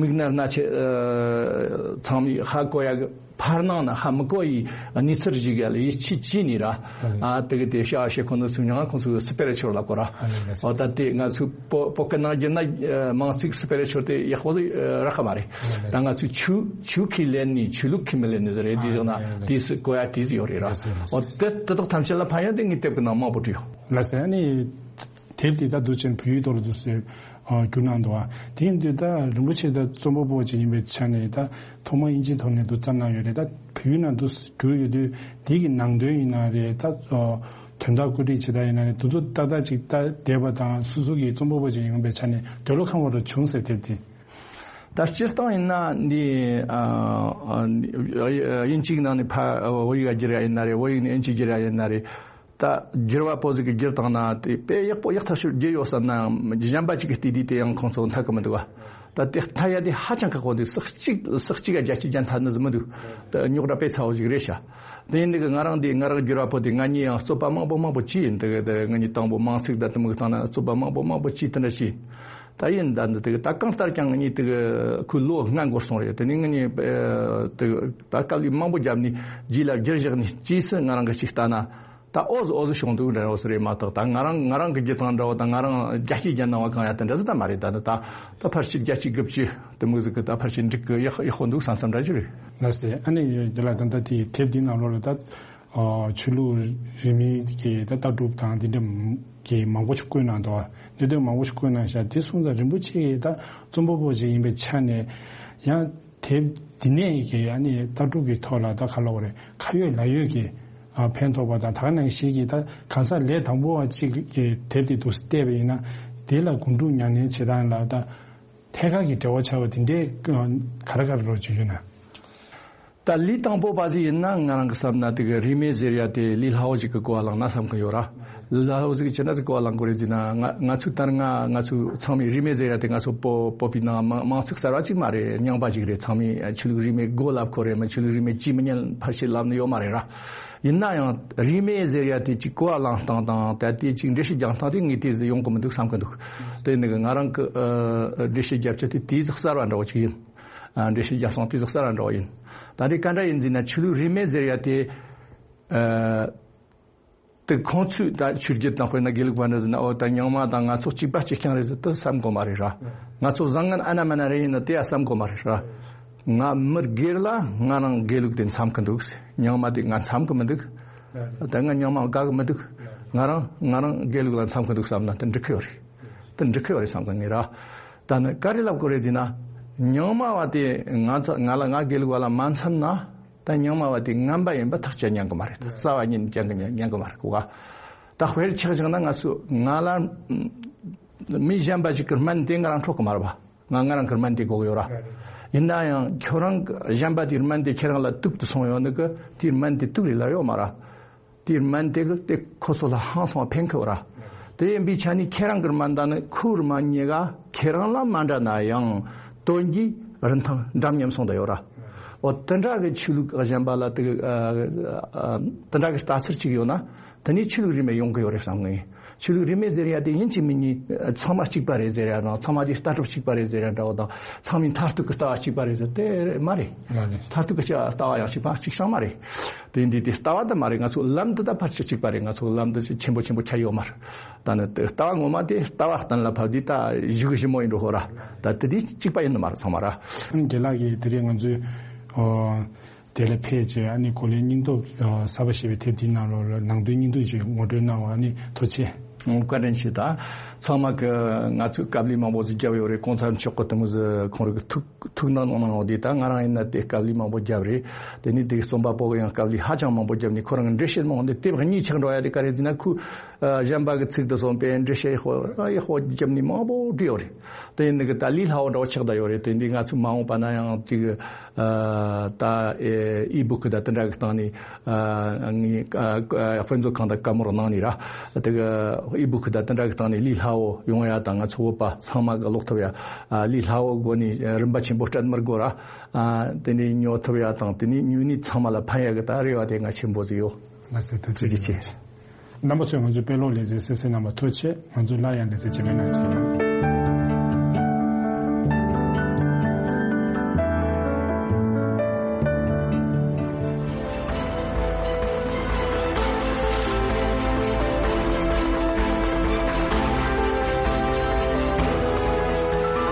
མིག་ནར་སྣ་ཆེ་ཚང་མས་ཧ་གོ་ཡ་གི་ཕར་སྣང་ན་ཧ་མི་གོ་ཡི་གནས་ཚུལ་ཞིག་ཡ་ལ་ཡིད་ཆེས་བྱས་ནས་ར། ཨ་དེ་གི་དེ་བྱ་བ་བྱེད་ཁོ་ནི་ཚོས་ཀྱང་ཁོང་ཚོས་སི་པེ་རི་ཆུ་ལབ་གོ་ར། འོ་ད་དེ་ང་ཚོས་བོད་བོད་སྐད་ནང་བསྒྱུར་ན་མིང་ཚིག་སི་པེ་རི་ཆུ་དེ་ཡག་པོ་རག་གི་མ་རེད། ད་ང་ཚོས་ཆོས་ཆོས་ཁས་ལེན་ནི་ཆོས་ལུགས་ཁས་མི་ལེན་ནི་རེད། དེ་ཡང་ན་དེ་སུ་གོ་ཡ་དེ་ཡོད་རེད་ར། འོ་དེ་དེ་དག་ཐམས་ཅད་ལ་ཕན་ཡོན་དེ་ངས་དེབ་ཀྱི་ནང་མང་པོ་བྲིས་ཡོད། ལགས་སོ། ཨ་ནི། དེབ་དེ་ད་དུ་ཆེན་བོད་ཡིག་ཐོག་ལ་དུ་སེ་བསྒྱུར་གནང་འདུག་བ། དེ་ཡིན་དུས་ད་རིན་པོ་ཆེ་ད་རྩོམ་པ་པོ་ཅིག་ཡིན་པའི་ཆ་ནས་ད་ཐོག་མ་དབྱིན་ཇིའི་ཐོག་ནས་དུ་བརྩམས་གནང་ཡོད་རེད། ད་བོད་ཡིག་ནང་དུ་བསྒྱུར་ཡོད་དུས་དེ་གི་ནང་དོན་ཡིན་ན་རེད། ད་དོན་དག་བཀོད་སྒྲིག་བྱེད་སྟངས་ཡིན་ན་རེད། དུ་ཚོ་ཏག་ཏག་ཅིག་ད་བསྡད་པ་དང་སོ་སོ་གི་རྩོམ་པ་པོ་ཅིག་ཡིན་པའི་ཆ་ནས་འདོད་བློ་ཁེངས་པོ་རུ་བྱུང་ཟེར། དེབ་དེ་ད་སྤྱིར་བཏང་ཡིན་ན་འདི་དབྱིན་ཇིའི་ནང་ནས་ཕར་བོད་ཡིག་བསྒྱུར་ཡ་ཡིན་ན་རེད། བོད་ཡིག་ནས་དབྱིན་ཇི་བསྒྱུར་ཡ་ཡིན་ན་རེད། ད་བསྒྱུར་བ་པོ་ཟིག་གིས་བསྒྱུར་བཏང་ན་དེ་དཔེ་ཡག་པོ་ཡག་ཐག་ཆོད་བསྒྱུར་ཡོད་བསམ་ན་ཡང་གཞན་པ་ཅིག་གིས་བལྟས་དུས་དེ་ཡང་ཁོང་ཚོ་འཐད་གི་མི་འདུག་བ། ད་དེ་འཐད་ཡ་དེ་ཧ་ཅང་ཁག་པོ་འདུག། ཟུར་གཅིག་ཟུར་གཅིག་ག་རྒྱ་སྐྱེད་རྒྱ་འཐད་ནི་ཟིག་མི་འདུག། ད་རྙོག་དྲ་དཔེ་ཚ་བོ་ཞིག་རེད་ཤག། དེ་ཡིན་དུས་ང་རང་དེ་ང་རང་བསྒྱུར་བ་པོ་དེ་ང་གཉིས་ཡང་རྩོད་པ་མང་པོ་མང་པོ་བྱས་ཡིན། དེ་གི་དེ་ང་གཉིས་དང་པོ་མིང་ཚིག་ད་དེ་མོ་གི་སྟེང་ན་རྩོད་པ་མང་པོ་མང་པོ་བྱས་དེ་འདྲ་བྱས། ད་ཡིན་ད་འདི་དེ་གི་ད་གང་ལྟར་ཀྱང་ང་གཉིས་དེ་གི་ཁོའི་ལོ་ལྔ་འགོར་སོང་རེད། དེ་ནས་ང་གཉིས་དེ་གི་ད་དཀའ་ལས་མང་པོ་བརྒྱབ་ནས་རྗེས་ལ་བསྒྱུར་བཞག་ནས་རྗེས་སུ་ང་རང་གི་ཅིག་ལྟ་ན། ད་ཨོ་ཟི་ཨོ་ཟི་བྱུང་འདུག་འདྲ་བོ་ཟིག་རེད་མ་གཏོགས། ད་ང་རང་ང་རང་གི་རྒྱུ་དང་འདྲ་བོ་དང་ང་རང་རྒྱ་སྐྱེད་རྒྱ་གནང་བ་གང་ཡ་དེ་འདྲ་ཟིག་ད་མ་རེད། ད་ནི་ད་ད་ཕལ་ཆེར་བརྒྱ་ཆ་དགུ་བཅུ་དེ་མོ་ཟིག་གི་ད་ཕལ་ཆེར་འགྲིག་གི་ཡག་ཡག་པོ་འདུག་བསམ་བསམ་འདྲ་ཅིག་རེད། ལགས་སེ། ཨ་ནི་རྒྱ་ལགས་ད་ལྟ་དེ་དེབ་འདི་ནང་ལོགས་ལ་ད་ཆོས་ལུགས་རིས་མེད་ཀྱི་ད་ལྟ་གྲུབ་དང་དེ་འདྲ་གི་མང་པོ་ཞིག་བཀོད་གནང་འདུག། གནད་དོན་མང་པོ་ཞིག་བཀོད་གནང་ཤག། དེ་སོང་ཙང་རིན་པོ་ཆེ་གི་ད་རྩོམ་པ་པོ་ཞིག་ཡིན་པའི་ཆ་ནས་ཡང་དེབ་འདི་ནས་ཀྱི་ཨ་ནི་ལྟ་གྲུབ་ཀྱི་ཐོག་ལ་ད་ག་ལབ་དགོས་རེད། ཁ་ཡོད་ལག་ཡོད་ཀྱི་ཨ་ཕན་ཐོགས་པ་དང་། ད་ག་ནང་བཞིན་གྱི་ད་གང་ཟག་ལས་དང་པོ་བ་གཅིག་གི་དེབ་དེ་འདུག་བལྟས་པ་ཡིན་ན་དེ་ལ་སྒོམ་སྒྲུབ་ཉམས་ལེན་བྱེད་སྟངས་ལ་ད་ཐད་ཀར་གྱི་འབྲེལ་བ་ཆགས་པ་དེ་འདྲའི་ག་རེ་ག་རེ་རོགས་བྱེད་ཡོད་ན། ད་ལས་དང་པོ་བ་ཟིག་ཡིན་ན་ང་རང་གི་བསམ་ན་དེ་གི་རིས་མེད་ཟེར་ཡ་དེ་ལས་སླ་བོ་ཞིག་གི་གོ་བ་བླངས་ན་བསམ་གི་ཡོད་ར། ལས་སླ་བོ་ཟིག་ཅི་འདྲ་ཟིག་གོ་བ་བླངས་དགོས་རེད་ཟེར་ན། ང་ང་ཚོའི་ལྟར་ང་ང་ཚོའི་ཚང་མས་རིས་མེད་ཟེར་ཡ་དེ་ང་ཚོ་བོད་བོད་པའི་ནང་མང་མང་ཚིག་གསར་བ་ཅིག་མ་རེད། རྙིང་པ་ཞིག་རེད། ཚང་མས་ཆོས་ལུགས་རིས་མེད་དགོས་ལབ་ཁོ་རེད་མ། ཆོས་ལུགས་རིས་མེད་ཅིས་མི་ཉན་ཕལ་ཆེར་ལབ་ནི་ཡོད་མ་རེད་ར། ཡིན་ན་ཡང་རིས་མེད་ཟེར་ཡ་དེ་ཅིག་གོ་བ་བླངས་སྟངས་དང་ད་དེ་ཅིག་འགྲེལ་བཤད་རྒྱག་སྟངས་དེ་ངས་དེ་ཟིག་ཡོང་གི་མི་འདུག་བསམ་གི་འདུག། དེ་ནི་ང་རང་གི་ཨ་འགྲེལ་བཤད་རྒྱབ་ཆེད་དེ་དེ་ཟིག་གསར་བ་འདྲ་བོ་ཅིག་ཡིན། ཨ་འགྲེལ་བཤད་རྒྱབ་སྟངས་དེ་ཟིག་གསར་བ་འདྲ་བོ་ཡིན། ད་དེ་ག་འདྲ་ཡིན་ཟེར་ན་ཆོས་ལུགས་རིས་མེད་ཟེར་ཡ་དེ་ཨ་དེ་ཁོང་ཚོས་ད་ཆོས་བརྒྱུད་དང་དཔེར་ན་དགེ་ལུགས་པ་འདྲ་ཟེར་ན། འོ་ད་རྙིང་མ་དང་ང་ཚོ་གཅིག་པ་གཅིག་རྐྱང་རེད་ཟེར་དེ་བསམ་དགོས་མ་རེད་ར། ང་ཚོ་བཟང་ངན་ཨ་ན་མ་ན་རེ་ཡིན་ན་དེ་ཡང་བསམ་དགོས་མ་རེད་ར། ང་མི་སྒེར་ལ་ང་རང་དགེ་ལུགས་དེ་འཚམ་གི་འདུག། རྙིང་མ་དེ་ང་འཚམ་གི་མི་འདུག། ད་ང་རྙིང་མ་དགའ་གི་མི་འདུག། ང་རང་ང་རང་དགེ་ལུགས་ལ་འཚམ་གི་འདུག་བསམ་ན་དེ་འགྲིག་གི་ཡོད་རེད། དེ་འགྲིག་གི་ཡོད་རེད་བསམ་གི་ངེས་ར། ད་ནི་ག་རེ་ལབ་དགོས་རེད་ཟེར་ན། རྙིང་མ་བ་དེ་ང་ཚོ་ང་ལ་ང་དགེ་ལུགས་པ་ལ་མ་འཚམ་ན། ད་རྙིང་མ་བ་དེ་ངན་པ་ཡིན་པ་ཐག་བཅད་ཉན་གི་མ་རེད། ད་རྩ་བ་ཉིད་ནས་ཉན་གི་ཉན་གི་མ་རེད་གོ་ག། ད་དཔེར་ཆ་བཞག་ན་ང་ཚོ་ང་ལ་མི་གཞན་པ་ཞིག་གི་སྨན་དེ་ང་རང་འཕྲོད་གི་མ་རེད་པ། ང་ང་རང་གི་སྨན་དེ་དགོས་གི་ཡོད་ར། ཡིན་ན་ཡང་ཁྱོད་རང་གི་གཞན་པ་དེའི་སྨན་དེ་ཁྱེད་རང་ལ་དུག་ཏུ་སོང་ཡོད་ནི་གི་དེའི་སྨན་དེ་དུག་རེད་ལབ་ཡོད་མ་ར། དེའི་སྨན་དེ་གི་དེ་ཁོ་ཚོ་ལ་ཧང་སང་བ་ཕན་གི་ཡོད་ར། དེ་ཡིན་པའི་ཆ་ནས་ཁྱེད་རང་གི་སྨན་དང་ནི་ཁོའི་སྨན་གཉིས་ཀ་ཁྱེད་རང་ལ་མ་འདྲ་ན་ཡང་དོན་གྱི་རིན་ཐང་འདྲ་མཉམ་སོང་ད་ཡོད་ར། འོ་དེ་འདྲ་གི་ཆོས་ལུགས་གཞན་པ་ལ་དེ་གི་ཨ་ཨ་དེ་འདྲ་གི་ལྟ་ཚུལ་ཅིག་ཡོད་ན། དེ་ནས་ཆོས་ལུགས་རིས་མེད་ཡོང་གི་ཡོད་རེད་བསམ་ངེས། ཆོས་ལུགས་རིས་མེད་ཟེར་ཡ་དེ་ཡིན་གཅིག་མིན་གཉིས་ཚང་མ་གཅིག་པ་རེད་ཟེར་ཡ་དང་། ཚང་མ་དེ་ལྟ་གྲུབ་གཅིག་པ་རེད་ཟེར་ཡ་འདྲ་བོ་དང་། ཚང་མའི་མཐར་ཐུག་གི་ལྟ་བ་གཅིག་པ་རེད་ཟེར་དེ་མ་རེད། མ་རེད། མཐར་ཐུག་གི་ལྟ་བ་ཡང་གཅིག་པ་གཅིག་རྐྱང་མ་རེད། དེ་འདི་དེ་ལྟ་བ་འདི་མ་རེད། ང་ཚོ་ལམ་འདི་ད་ཕལ་ཆེར་གཅིག་པ་རེད། ང་ཚོ་ལམ་འདི་ཆེན་པོ་ཆེན་པོ་ཁྱད་ཡོད་མ་རེད། ད་ནི་དེ་ལྟ་བ་ངོ་མ་དེ་ལྟ་བ་གཏན་ལ་ཕབ་དུས་ད་གཞུག་གི་ཞི་མོ་ཡིན་འགྲོ་ཧོ་ར། ད་དེ་དེ་གཅིག་པ་ཡིན་ནི་མ་རེད་ཚང་མ་ར། རྒན་ལགས་ཀྱིས་དེ་རིང་ང་ཚོའི་ཨོ། དེ་ལ་ཕེབས་བྱས་ཨ་ནི་གོ་ལའི་སྙིང་སྟོབས་གསར་པ་ཞེས་པའི་དེབ་དེའི་ནང་ལོགས་ལ་ནང་དོན་སྙིང་བསྡུས་ཀྱི་ངོ་སྤྲོད་གནང་བ་ཨ་ནི་ཐུགས་རྗེ་ཆེ། བཀའ་དྲིན་ཆེ། ད་ཚང་མ་གི་ང་ཚོས་དཀའ་ལས་མང་པོ་ཟིག་བརྒྱབ་ཡོད་རེད། གོང་ས་མཆོག་གི་དེ་མོ་ཟིག་ཁོང་རང་གི་ཐུགས་ཐུགས་སྣང་གནང་གནང་བ་དེ། ད་ང་རང་ཡིན་ན་དེ་དཀའ་ལས་མང་པོ་བརྒྱབ་རེད། དེ་ནི་དེ་རྩོམ་པ་པོ་གི་ཡང་དཀའ་ལས་ཧ་ཅང་མང་པོ་བརྒྱབ་ནས་ཁོ་རང་གི་འགྲེལ་བཤད་མང་པོ་འདི་དེབ་གཉིས་ཆགས་འགྲོ་ཡ་དེ་ག་རེ་ཟེར་ན། ཁོས་གཞན་པ་གི་ཚིག་དེ་སོང་པས་འགྲེལ་བཤད་ཡག་པོ་ཡག་པོ་བརྒྱབ་ནས་མང་པོ་བྲིས་ཡོད་རེད། དེ་ནི་གི་ད་ལས་སླ་བོ་འདྲ་བོ་ཆགས་བསྡད་ཡོད་རེད། དེ་འདི་ང་ཚོ་མ་འོངས་པ་ན་ཡང་ཅིག་ཨ་ད་ཨེ་ཨི་བུག་ད་དེ་འདྲ་གི་སྟེང་ནས་ཨ་ངས་ཨ་ཨ་དཔེ་མཛོད་ཁང་དང་བཀའ་མོལ་གནང་ནས་ར། དེ་གི་ཨི་བུག་ད་དེ་འདྲ་གི་སྟེང་ནས་ལས་སླ་བོ་ཡོང་ཡ་དང་། ང་ཚོ་བོད་པ་ཚང་མ་གི་ཀློག་ཐུབ་ཡ་ཨ་ལས་སླ་བོ་སྒོ་ནས་རིན་པ་ཆེན་པོ་སྤྲད་མི་དགོས་ར། ཨ་དེ་ནས་ཉོ་ཐུབ་ཡ་དང་། དེ་ནས་ཉོས་ནས་ཚང་མ་ལ་ཕན་ཡ་གི་ད་རེ་བ་དེ་ང་ཆེན་པོ་ཟིག་ཡོད། ལགས་སེ། ཐུགས་རྗེ་ཆེ། རྣམ་པ་ཚོས་ང་ཚོའི་དཔེ་ཀློག་ལེ་ཚན་གསན་གཟིགས་གནང་བར་ཐུགས་རྗེ་ཆེ། ང་ཚོ་སླར་ཡང་ལེ་ཚན་རྗེས་མའི་ནང་མཇལ་ཡོང་།